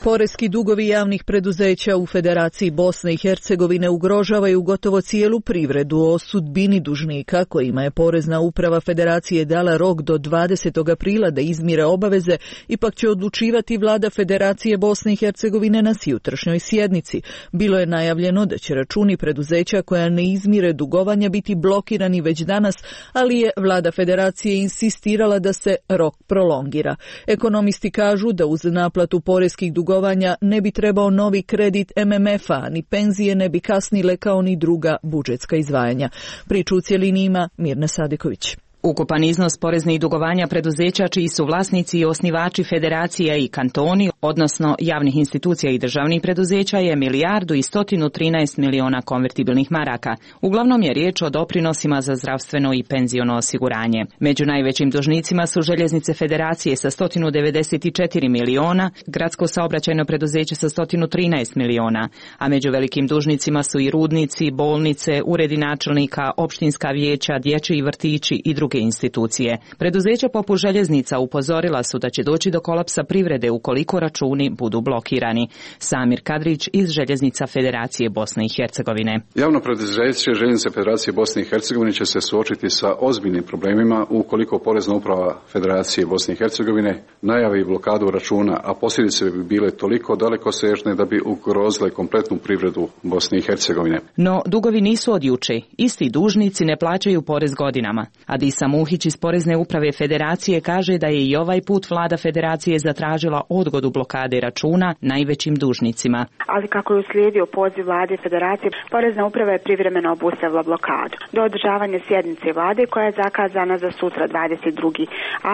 Poreski dugovi javnih preduzeća u Federaciji Bosne i Hercegovine ugrožavaju gotovo cijelu privredu. O sudbini dužnika kojima je Porezna uprava Federacije dala rok do 20. aprila da izmire obaveze, ipak će odlučivati vlada Federacije Bosne i Hercegovine na sutrašnjoj sjednici. Bilo je najavljeno da će računi preduzeća koja ne izmire dugovanja biti blokirani već danas, ali je vlada Federacije insistirala da se rok prolongira. Ekonomisti kažu da uz naplatu poreskih dugovanja ne bi trebao novi kredit MMF-a, ni penzije ne bi kasnile kao ni druga budžetska izdvajanja. Priču u cjelini ima Mirna Sadiković. Ukupan iznos poreznih dugovanja preduzeća čiji su vlasnici i osnivači federacija i kantoni, odnosno javnih institucija i državnih preduzeća, je 1.113 miliona konvertibilnih maraka. Uglavnom je riječ o doprinosima za zdravstveno i penziono osiguranje. Među najvećim dužnicima su željeznice federacije sa 194 miliona, gradsko saobraćajno preduzeće sa 113 miliona, a među velikim dužnicima su i rudnici, bolnice, uredi načelnika, opštinska vijeća, dječji vrtići i druge institucije. Preduzeća poput željeznica upozorila su da će doći do kolapsa privrede ukoliko računi budu blokirani. Samir Kadrić iz Željeznica Federacije Bosne i Hercegovine. Javno preduzeće Željeznice Federacije Bosne i Hercegovine će se suočiti sa ozbiljnim problemima ukoliko Porezna uprava Federacije Bosne i Hercegovine najavi blokadu računa, a posljedice bi bile toliko dalekosežne da bi ugrozile kompletnu privredu Bosne i Hercegovine. No, dugovi nisu od juče. Isti dužnici ne plaćaju porez godinama. Adisa Muhić iz Porezne uprave Federacije kaže da je i ovaj put vlada Federacije zatražila odgodu blokade računa najvećim dužnicima. Ali kako je uslijedio poziv vlade Federacije, Porezna uprava je privremeno obustavila blokadu do održavanja sjednice vlade koja je zakazana za sutra 22.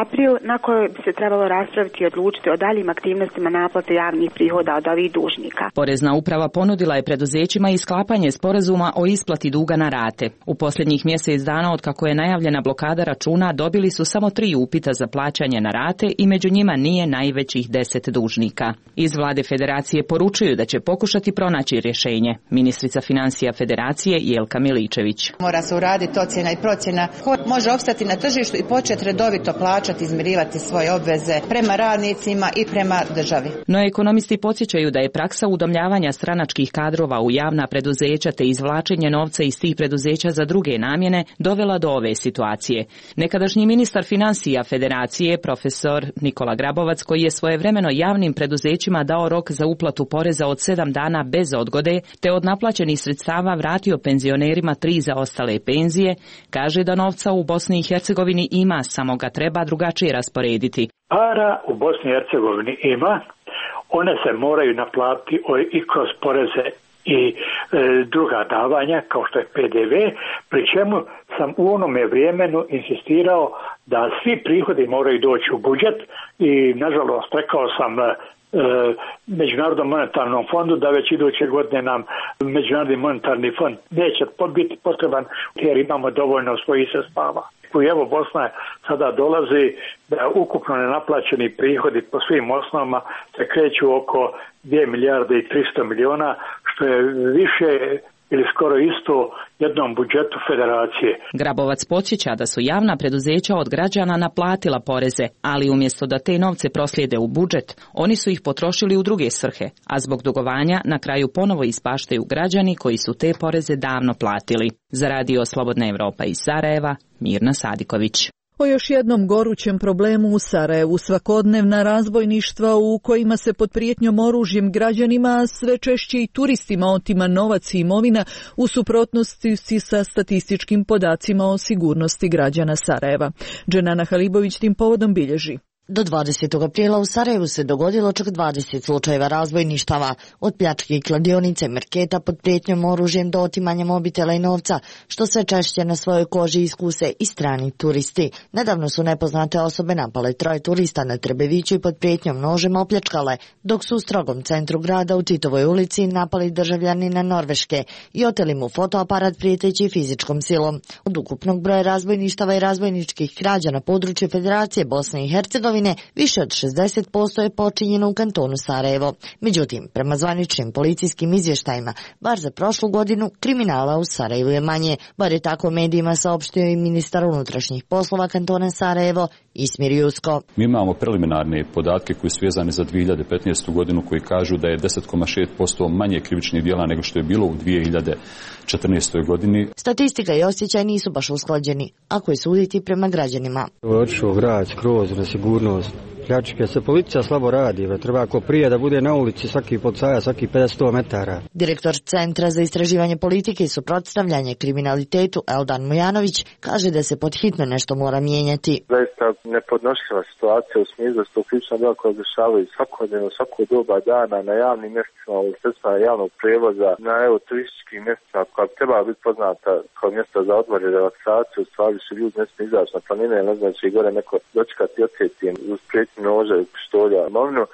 april, na kojoj bi se trebalo raspraviti i odlučiti o daljim aktivnostima naplate javnih prihoda od ovih dužnika. Porezna uprava ponudila je preduzećima i sklapanje sporazuma o isplati duga na rate. U posljednjih mjesec dana od kako je najavljena blokada računa dobili su samo 3 upita za plaćanje na rate i među njima nije najvećih 10 dužnika. Iz vlade Federacije poručuju da će pokušati pronaći rješenje. Ministrica financija Federacije Jelka Miličević. Mora se uraditi ocjena i procjena ko može opstati na tržištu i početi redovito plaćati, izmirivati svoje obveze prema radnicima i prema državi. No ekonomisti podsjećaju da je praksa udomljavanja stranačkih kadrova u javna preduzeća te izvlačenje novca iz tih preduzeća za druge namjene dovela do ove situacije. Nekadašnji ministar financija Federacije, profesor Nikola Grabovac, koji je svojevremeno javnim preduzećima dao rok za uplatu poreza od 7 dana bez odgode, te od naplaćenih sredstava vratio penzionerima 3 zaostale penzije, kaže da novca u Bosni i Hercegovini ima, samo ga treba drugačije rasporediti. Para u Bosni i Hercegovini ima, one se moraju naplatiti i kroz poreze i druga davanja kao što je PDV, pri čemu sam u onome vremenu insistirao da svi prihodi moraju doći u budžet i nažalost rekao sam Međunarodnom monetarnom fondu da već iduće godine nam Međunarodni monetarni fond neće biti potreban jer imamo dovoljno svojih sredstava. I evo Bosna sada dolazi da ukupno nenaplaćeni prihodi po svim osnovama se kreću oko 2 milijarde i 300 miliona, što je više ili skoro isto jednom budžetu Federacije. Grabovac podsjeća da su javna preduzeća od građana naplatila poreze, ali umjesto da te novce proslijede u budžet, oni su ih potrošili u druge svrhe, a zbog dugovanja na kraju ponovo ispaštaju građani koji su te poreze davno platili. Za Radio Slobodna Evropa iz Sarajeva, Mirna Sadiković. O još jednom gorućem problemu u Sarajevu, svakodnevna razbojništva u kojima se pod prijetnjom oružjem građanima, sve češće i turistima otima novac i imovina, u suprotnosti sa statističkim podacima o sigurnosti građana Sarajeva. Dženana Halibović tim povodom bilježi. Do 20. aprila u Sarajevu se dogodilo čak 20 slučajeva razbojništava, od pljačke i kladionice, marketa pod prijetnjom oružjem do otimanja mobitela i novca, što sve češće na svojoj koži iskuse i strani turisti. Nedavno su nepoznate osobe napale 3 turista na Trebeviću i pod prijetnjom nožem opljačkale, dok su u strogom centru grada u Titovoj ulici napali državljanina Norveške i oteli mu fotoaparat prijeteći fizičkom silom. Od ukupnog broja razbojništava i razbojničkih krađa na području Federacije Bosne i Hercegovine više od 60% je počinjeno u kantonu Sarajevo. Međutim, prema zvaničnim policijskim izvještajima, bar za prošlu godinu, kriminala u Sarajevu je manje, bar je tako medijima saopštio i ministar unutrašnjih poslova kantona Sarajevo, Ismir Jusko. Mi imamo preliminarne podatke koji su vezani za 2015. godinu koji kažu da je 10,6% manje krivičnih djela nego što je bilo u 2014. godini. Statistika i osjećaj nisu baš usklađeni, ako je suditi prema građanima. Otišao grad skroz na sigurnost, pljačke se policija slabo radi, treba ako prije da bude na ulici svaki policajac, svaki 50-100 metara. Direktor Centra za istraživanje politike i suprotstavljanje kriminalitetu Eldan Mujanović kaže da se podhitno nešto mora mijenjati. Zaista nepodnošljiva situacija u smislu da su to krivična djela koja dešavaju svakodnevno, svako doba dana na javnim mjestima, u sredstvima javnog prevoza, na turističkim mjestima koja bi trebala biti poznata kao mjesta za odmor i relaksaciju, u stvari su ljudi ne smiju izaći na planine, ne znači gore neko dočekati i odsjeti uz prijetnju noža i pištolja.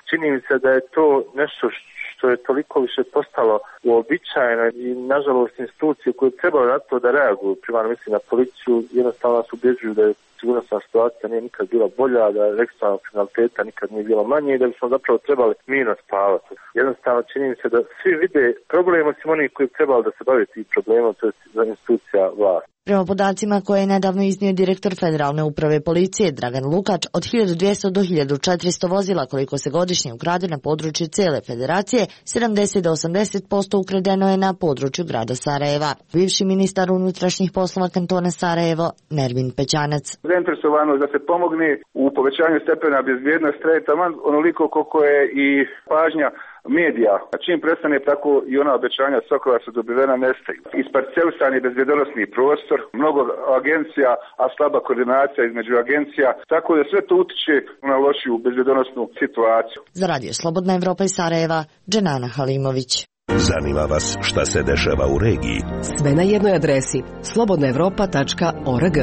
Čini mi se da je to nešto što je toliko više postalo uobičajeno i nažalost institucije koje trebaju na to da reaguju, primarno mislim na policiju, jednostavno nas ubjeđuju da je sigurnosna situacija nije nikad bila bolja, da ekstremnog kriminaliteta nikad nije bilo manje i da bismo zapravo trebali mirno spavati. Jednostavno čini mi se da svi vide problem osim onih koji bi trebali da se bave tim problemom, to je za institucija vlasti. Prema podacima koje je nedavno iznio direktor Federalne uprave policije Dragan Lukač, od 1200 do 1400 vozila koliko se godišnje ukrade na području cijele federacije, 70 do 80% ukradeno je na području grada Sarajeva. Bivši ministar unutrašnjih poslova kantona Sarajevo, Nermin Pećanac. Zainteresovano da se pomogne u povećanju stepena bezbjednosti taman onoliko koliko je i pažnja medija. Čim prestane tako i ona obećanja Sokova su dobivena nestaju. Isparcelisan je bezbjednosni prostor, mnogo agencija, a slaba koordinacija između agencija, tako da sve to utiče na lošiju bezbjednosnu situaciju. Za Radio Slobodna Evropa iz Sarajeva, Dženana Halimović. Zanima vas šta se dešava u regiji? Sve na jednoj adresi slobodnaevropa.org.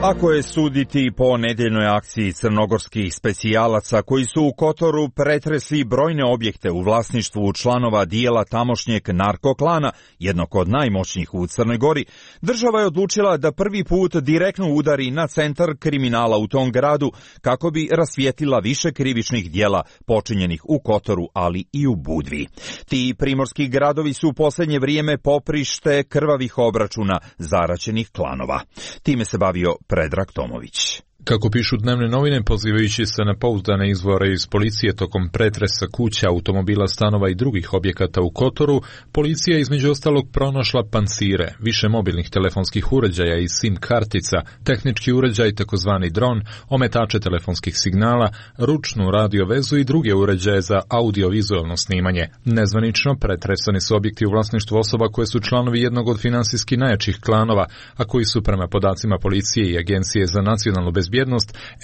Ako je suditi po nedeljnoj akciji crnogorskih specijalaca koji su u Kotoru pretresli brojne objekte u vlasništvu članova dijela tamošnjeg narkoklana, jednog od najmoćnijih u Crnoj Gori, država je odlučila da prvi put direktno udari na centar kriminala u tom gradu kako bi rasvijetlila više krivičnih dijela počinjenih u Kotoru, ali i u Budvi. Ti primorski gradovi su u posljednje vrijeme poprište krvavih obračuna zaraćenih klanova. Time se bavio Predrag Tomović. Kako pišu dnevne novine, pozivajući se na pouzdane izvore iz policije tokom pretresa kuća, automobila, stanova i drugih objekata u Kotoru, policija je između ostalog pronašla pancire, više mobilnih telefonskih uređaja i SIM kartica, tehnički uređaj takozvani dron, ometače telefonskih signala, ručnu radio vezu i druge uređaje za audiovizualno snimanje. Nezvanično pretresani su objekti u vlasništvu osoba koje su članovi jednog od finansijski najjačih klanova, a koji su prema podacima policije i Agencije za nacionalnu bezbjednost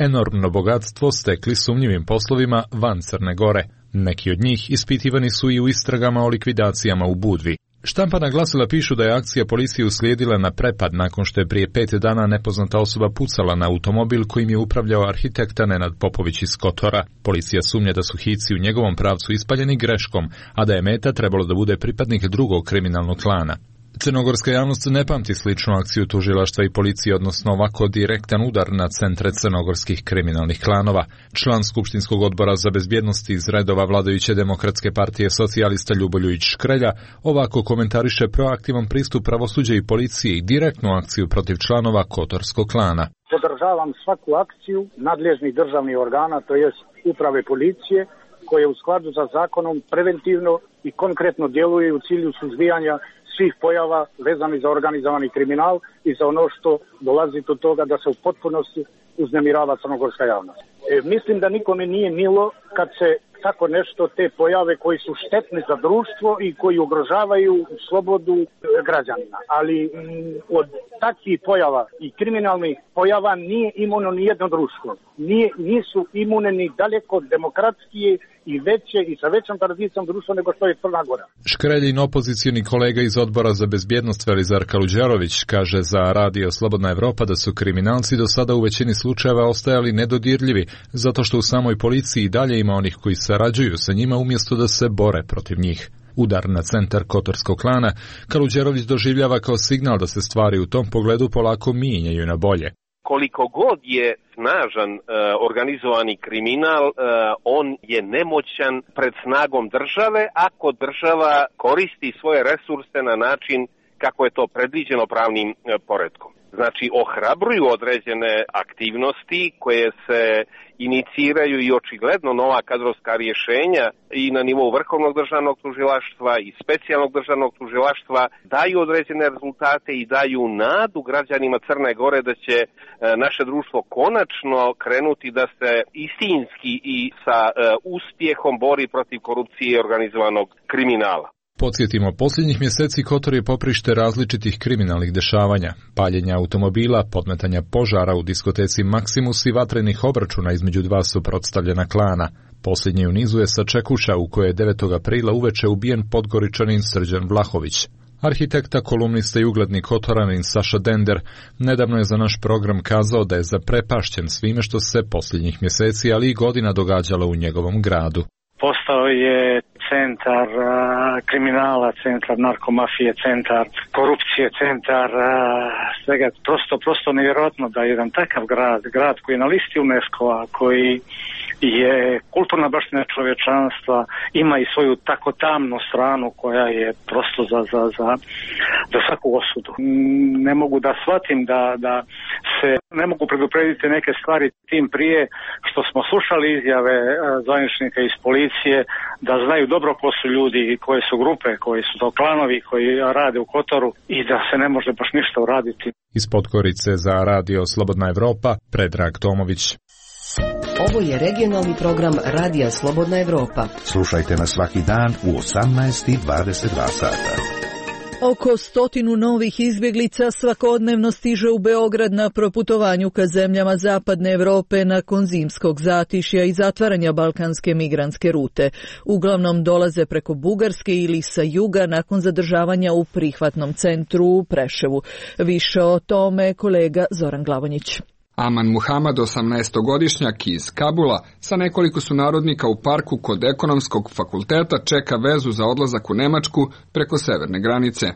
enormno bogatstvo stekli sumnjivim poslovima van Crne Gore. Neki od njih ispitivani su i u istragama o likvidacijama u Budvi. Štampana glasila pišu da je akcija policije uslijedila na prepad nakon što je prije 5 dana nepoznata osoba pucala na automobil kojim je upravljao arhitekta Nenad Popović iz Kotora. Policija sumnja da su hici u njegovom pravcu ispaljeni greškom, a da je meta trebalo da bude pripadnik drugog kriminalnog klana. Crnogorska javnost ne pamti sličnu akciju tužilaštva i policije, odnosno ovako direktan udar na centre crnogorskih kriminalnih klanova. Član Skupštinskog odbora za bezbjednost iz redova vladajuće Demokratske partije socijalista Ljuboljujić Škrelja ovako komentariše proaktivan pristup pravosuđa i policije i direktnu akciju protiv članova Kotorskog klana. Podržavam svaku akciju nadležnih državnih organa, to jest uprave policije, koje u skladu sa zakonom preventivno i konkretno djeluje u cilju suzbijanja svih pojava vezani za organizovani kriminal i za ono što dolazi do toga da se u potpunosti uznemirava crnogorska javnost. Mislim da nikome nije milo kad se tako nešto, te pojave koji su štetne za društvo i koji ugrožavaju slobodu građanina. Ali od takvih pojava i kriminalnih pojava nije imuno ni jedno društvo. Nisu imune ni daleko demokratskije i veće i sa većom tradicijom društva nego što je Crna Gora. Škreljin opozicijni kolega iz Odbora za bezbjednost Velizar Kaluđerović kaže za Radio Slobodna Evropa da su kriminalci do sada u većini slučajeva ostajali nedodirljivi, zato što u samoj policiji dalje ima onih koji sarađuju sa njima umjesto da se bore protiv njih. Udar na centar Kotorskog klana Kaluđerović doživljava kao signal da se stvari u tom pogledu polako mijenjaju na bolje. Koliko god je snažan organizovani kriminal, on je nemoćan pred snagom države ako država koristi svoje resurse na način kako je to predviđeno pravnim poretkom. Znači, ohrabruju određene aktivnosti koje se iniciraju i očigledno nova kadrovska rješenja i na nivou Vrhovnog državnog tužilaštva i specijalnog državnog tužilaštva daju određene rezultate i daju nadu građanima Crne Gore da će naše društvo konačno krenuti da se istinski i sa uspjehom bori protiv korupcije i organizovanog kriminala. Podsjetimo, posljednjih mjeseci Kotor je poprište različitih kriminalnih dešavanja, paljenja automobila, podmetanja požara u diskoteci Maksimus i vatrenih obračuna između dva suprotstavljena klana. Posljednji u nizu je Sačekuša u kojoj je 9. aprila uveče ubijen Podgoričanin Srđan Vlahović. Arhitekta, kolumnista i ugledni Kotoranin Saša Dender nedavno je za naš program kazao da je zaprepašćen svime što se posljednjih mjeseci, ali i godina događalo u njegovom gradu. Postao je centar kriminala, centar narkomafije, centar korupcije, centar svega. Prosto nevjerojatno da jedan takav grad koji je na listi UNESCO-a, koji je kulturna baština čovječanstva, ima i svoju tako tamnu stranu koja je prosto za svaku osudu. Ne mogu da shvatim da se ne mogu preduprediti neke stvari, tim prije što smo slušali izjave zvaničnika iz policije da znaju dobro ko su ljudi i koje su grupe, koji su to klanovi koji rade u Kotoru i da se ne može baš ništa uraditi. Iz Podgorice za Radio Slobodna Evropa, Predrag Tomović. Ovo je regionalni program Radija Slobodna Evropa. Slušajte nas svaki dan u 18:22 sata. Oko 100 novih izbjeglica svakodnevno stiže u Beograd na proputovanju ka zemljama Zapadne Evrope nakon zimskog zatišja i zatvaranja balkanske migrantske rute. Uglavnom dolaze preko Bugarske ili sa juga nakon zadržavanja u prihvatnom centru u Preševu. Više o tome kolega Zoran Glavonjić. Aman Muhamad, 18-godišnjak iz Kabula, sa nekoliko sunarodnika u parku kod Ekonomskog fakulteta čeka vezu za odlazak u Nemačku preko severne granice.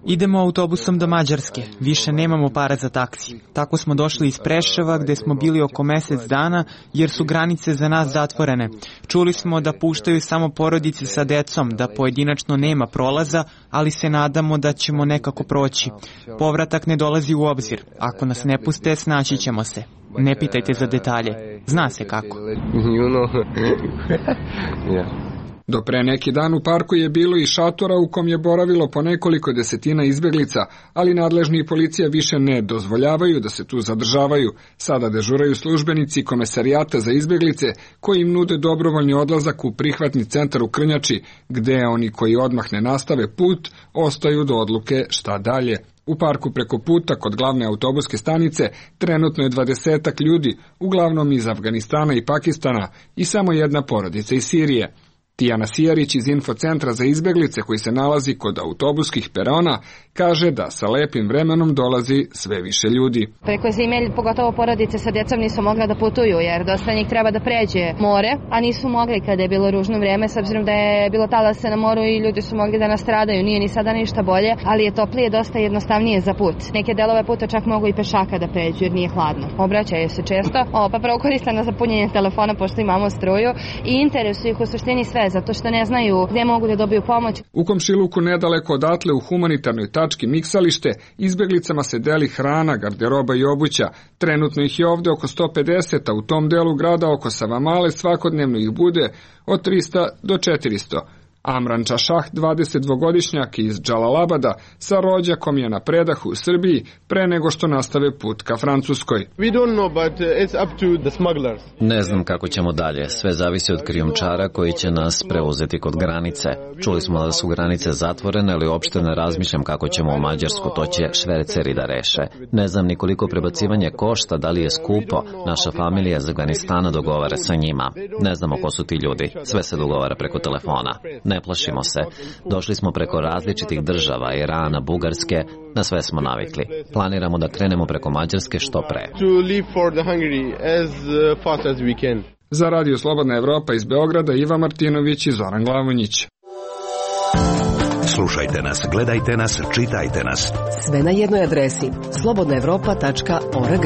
Idemo autobusom do Mađarske, više nemamo para za taksi. Tako smo došli iz Preševa gdje smo bili oko mjesec dana jer su granice za nas zatvorene. Čuli smo da puštaju samo porodice sa decom, da pojedinačno nema prolaza, ali se nadamo da ćemo nekako proći. Povratak ne dolazi u obzir. Ako nas ne puste, snaći ćemo se. Ne pitajte za detalje. Zna se kako. Do pre neki dan u parku je bilo i šatora u kom je boravilo po nekoliko desetina izbjeglica, ali nadležni i policija više ne dozvoljavaju da se tu zadržavaju. Sada dežuraju službenici Komesarijata za izbjeglice koji im nude dobrovoljni odlazak u prihvatni centar u Krnjači, gde oni koji odmah ne nastave put ostaju do odluke šta dalje. U parku preko puta kod glavne autobuske stanice trenutno je 20 ljudi, uglavnom iz Afganistana i Pakistana i samo jedna porodica iz Sirije. Tijana Sijarić iz Infocentra za izbjeglice koji se nalazi kod autobuskih perona kaže da sa lepim vremenom dolazi sve više ljudi. Preko zime, pogotovo porodice sa djecom nisu mogla da putuju jer dosta njih treba da pređe more, a nisu mogli kada je bilo ružno vrijeme s obzirom da je bilo talasa na moru i ljudi su mogli da nastradaju. Nije ni sada ništa bolje, ali je toplije dosta jednostavnije za put. Neke delove puta čak mogu i pešaka da pređu jer nije hladno. Obraćaju se često, pa prvo koriste na zapunjenje telefona pošto imamo struju i interesuju ih u suštini sve zato što ne znaju gdje mogu da dobiju pomoć. U komšiluku nedaleko odatle u humanitarnoj tački Miksalište izbjeglicama se deli hrana, garderoba i obuća. Trenutno ih je ovdje oko 150, a u tom delu grada oko Savamale svakodnevno ih bude od 300 do 400. Amran Čašah, 22-godišnjak iz Džalalabada, sa rođakom je na predahu u Srbiji pre nego što nastave put ka Francuskoj. Ne znam kako ćemo dalje, sve zavisi od krijumčara koji će nas preuzeti kod granice. Čuli smo da su granice zatvorene, ali uopšte ne razmišljam kako ćemo u Mađarsku, to će šverceri da reše. Ne znam ni koliko prebacivanje košta, da li je skupo, naša familija iz Afganistana dogovara sa njima. Ne znamo ko su ti ljudi, sve se dogovara preko telefona. Ne plašimo se. Došli smo preko različitih država, Irana, Bugarske, na sve smo navikli. Planiramo da krenemo preko Mađarske što pre. Za Radio Slobodna Evropa iz Beograda, Iva Martinović i Zoran Glavonjić. Slušajte nas, gledajte nas, čitajte nas. Sve na jednoj adresi slobodnaevropa.org.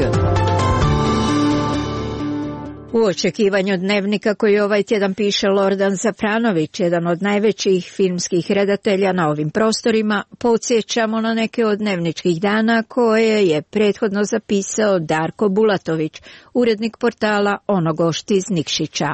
U očekivanju Dnevnika koji ovaj tjedan piše Lordan Zafranović, jedan od najvećih filmskih redatelja na ovim prostorima, podsjećamo na neke od dnevničkih dana koje je prethodno zapisao Darko Bulatović, urednik portala Onogošt iz Nikšića.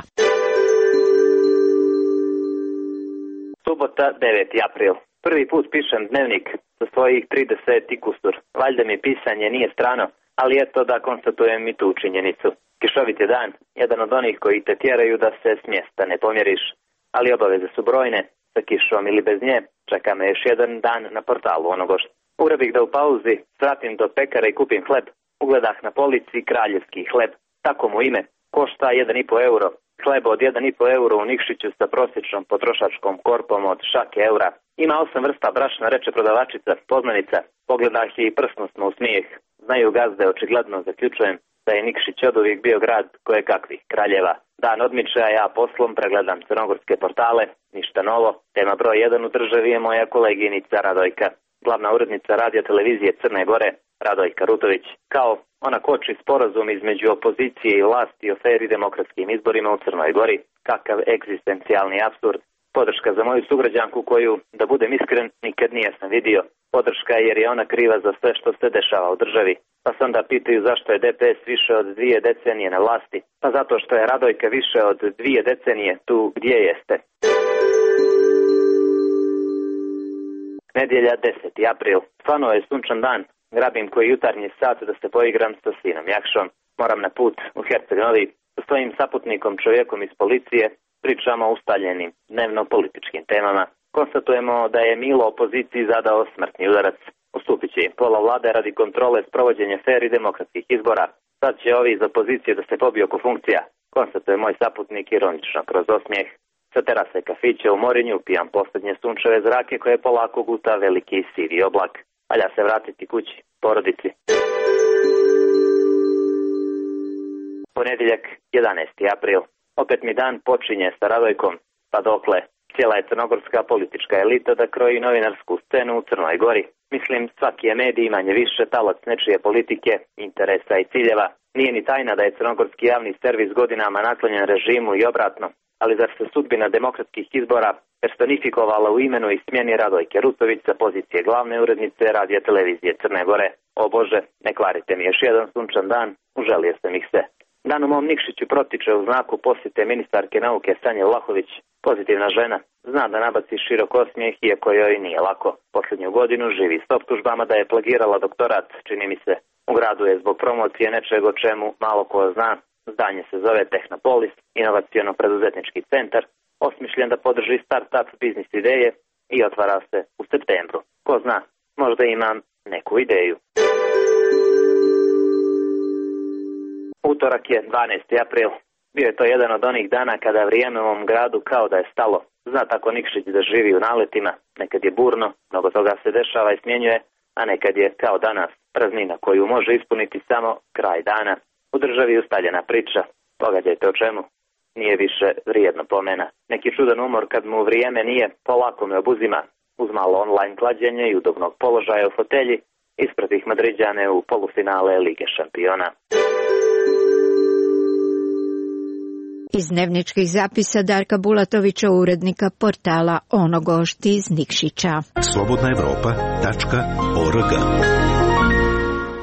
Subota, 9. april. Prvi put pišem dnevnik za svojih 30 i kusur. Valjda mi pisanje nije strano, ali eto da konstatujem i tu činjenicu. Kišovit je dan, jedan od onih koji te tjeraju da se s mjesta ne pomjeriš, ali obaveze su brojne, sa kišom ili bez nje, čeka me još jedan dan na portalu Onogošt. Ura bih da u pauzi svratim do pekara i kupim hleb, ugledah na polici kraljevski hleb, tako mu ime, košta 1,5 euro. Hleb od 1,5 euro u Nikšiću sa prosječnom potrošačkom korpom od šake eura. Ima 8 vrsta brašna, reče prodavačica, poznanica. Pogledah je i prsnusno u smijeh. Znaju gazde, očigledno zaključujem da je Nikšić oduvijek bio grad koje kakvih kraljeva. Dan odmiče, a ja poslom pregledam crnogorske portale. Ništa novo. Tema broj 1 u državi je moja koleginica Radojka. Glavna urednica radija televizije Crne Gore, Radojka Rutović. Kao ona koči sporazum između opozicije i vlasti o fer i demokratskim izborima u Crnoj Gori. Kakav egzistencijalni apsurd. Podrška za moju sugrađanku koju, da budem iskren, nikad nisam vidio. Podrška jer je ona kriva za sve što se dešava u državi. Pa se onda pitaju zašto je DPS više od 2 decenije na vlasti. Pa zato što je Radojka više od 2 decenije tu gdje jeste. Nedjelja, 10. april. Stvarno je sunčan dan. Grabim koji jutarnji sat da se poigram sa sinom Jakšom. Moram na put u Herceg Novi. Sa svojim saputnikom, čovjekom iz policije, pričamo o ustaljenim dnevno-političkim temama. Konstatujemo da je Milo opoziciji zadao smrtni udarac. Ustupit će im pola vlade radi kontrole sprovođenja fer i demokratskih izbora. Sad će ovi iz opozicije da se pobiju oko funkcija. Konstatuje moj saputnik ironično kroz osmijeh. Sa terase kafića u Morinju pijam posljednje sunčeve zrake koje polako guta veliki sivi oblak. Valja se vratiti kući, porodici. Ponedjeljak, 11. april. Opet mi dan počinje sa Radojkom, pa dokle. Cijela je crnogorska politička elita da kroji novinarsku scenu u Crnoj Gori. Mislim, svaki je medij manje više talac nečije politike, interesa i ciljeva. Nije ni tajna da je crnogorski javni servis godinama naklonjen režimu i obratno. Ali zar se sudbina demokratskih izbora personifikovala u imenu i smjeni Radojke Rutović sa pozicije glavne urednice radija televizije Crne Gore? O Bože, ne kvarite mi još jedan sunčan dan, uželio sam ih se. Dan u mom Nikšiću protiče u znaku posjete ministarke nauke Sanje Vlahović. Pozitivna žena, zna da nabaci širok osmijeh iako joj nije lako. Posljednju godinu živi s optužbama da je plagirala doktorat, čini mi se. U gradu je zbog promocije nečeg o čemu malo ko zna. Zdanje se zove Tehnopolis, inovaciono-preduzetnički centar, osmišljen da podrži start-up biznis ideje i otvara se u septembru. Ko zna, možda imam neku ideju. Utorak je 12. april. Bio je to jedan od onih dana kada vrijeme u ovom gradu kao da je stalo. Zna tako Nikšić da živi u naletima. Nekad je burno, mnogo toga se dešava i smjenjuje, a nekad je kao danas praznina koju može ispuniti samo kraj dana. U državi ustaljena priča. Pogađajte o čemu. Nije više vrijedno pomena. Neki čudan umor kad mu vrijeme nije, polako me obuzima. Uz malo online klađenje i udobnog položaja u fotelji, ispred ih Madriđane u polufinale Lige šampiona. Iz dnevničkih zapisa Darka Bulatovića, urednika portala Onogošt iz Nikšića. slobodnaevropa.org.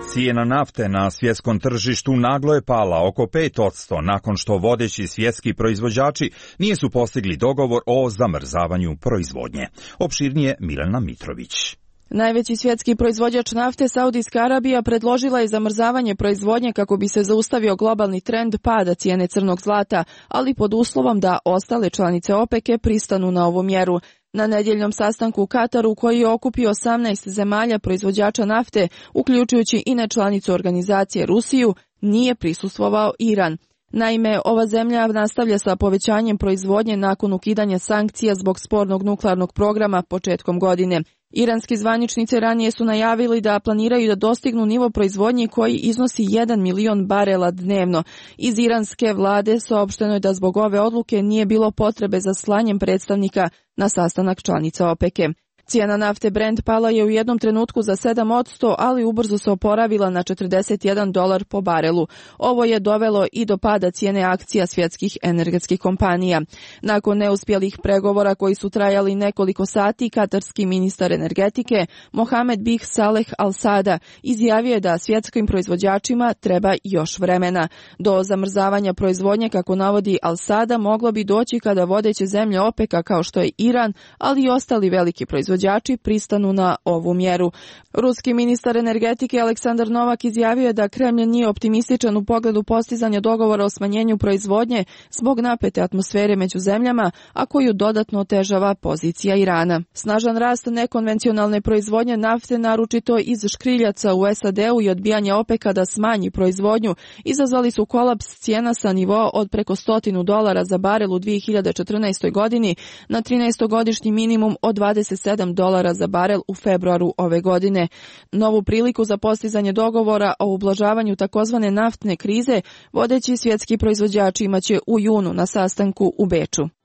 Cijena nafte na svjetskom tržištu naglo je pala oko 5% nakon što vodeći svjetski proizvođači nisu postigli dogovor o zamrzavanju proizvodnje. Opširnije Milena Mitrović. Najveći svjetski proizvođač nafte, Saudijska Arabija, predložila je zamrzavanje proizvodnje kako bi se zaustavio globalni trend pada cijene crnog zlata, ali pod uslovom da ostale članice OPEC-e pristanu na ovu mjeru. Na nedjeljnom sastanku u Kataru, koji je okupio 18 zemalja proizvođača nafte, uključujući i nečlanicu organizacije Rusiju, nije prisustvovao Iran. Naime, ova zemlja nastavlja sa povećanjem proizvodnje nakon ukidanja sankcija zbog spornog nuklearnog programa početkom godine. Iranski zvaničnici ranije su najavili da planiraju da dostignu nivo proizvodnje koji iznosi 1 milion barela dnevno. Iz iranske vlade saopšteno je da zbog ove odluke nije bilo potrebe za slanjem predstavnika na sastanak članica OPEC-e. Cijena nafte Brent pala je u jednom trenutku za 7%, ali ubrzo se oporavila na $41 po barelu. Ovo je dovelo i do pada cijene akcija svjetskih energetskih kompanija. Nakon neuspjelih pregovora koji su trajali nekoliko sati, katarski ministar energetike Mohamed Bih Saleh Al Sada izjavio je da svjetskim proizvođačima treba još vremena. Do zamrzavanja proizvodnje, kako navodi Al Sada, moglo bi doći kada vodeće zemlje OPEC-a kao što je Iran, ali i ostali veliki proizvođači pristanu na ovu mjeru. Ruski ministar energetike Aleksandar Novak izjavio je da Kremlj nije optimističan u pogledu postizanja dogovora o smanjenju proizvodnje zbog napete atmosfere među zemljama, a koju dodatno otežava pozicija Irana. Snažan rast nekonvencionalne proizvodnje nafte, naročito iz škriljaca u SAD-u i odbijanje OPEC-a da smanji proizvodnju, izazvali su kolaps cijena sa nivoa od preko $100 za barel u 2014. godini na 13-godišnji minimum od $27 za barel u februaru ove godine. Novu priliku za postizanje dogovora o ublažavanju takozvane naftne krize vodeći svjetski proizvođači imaće u junu na sastanku u Beču.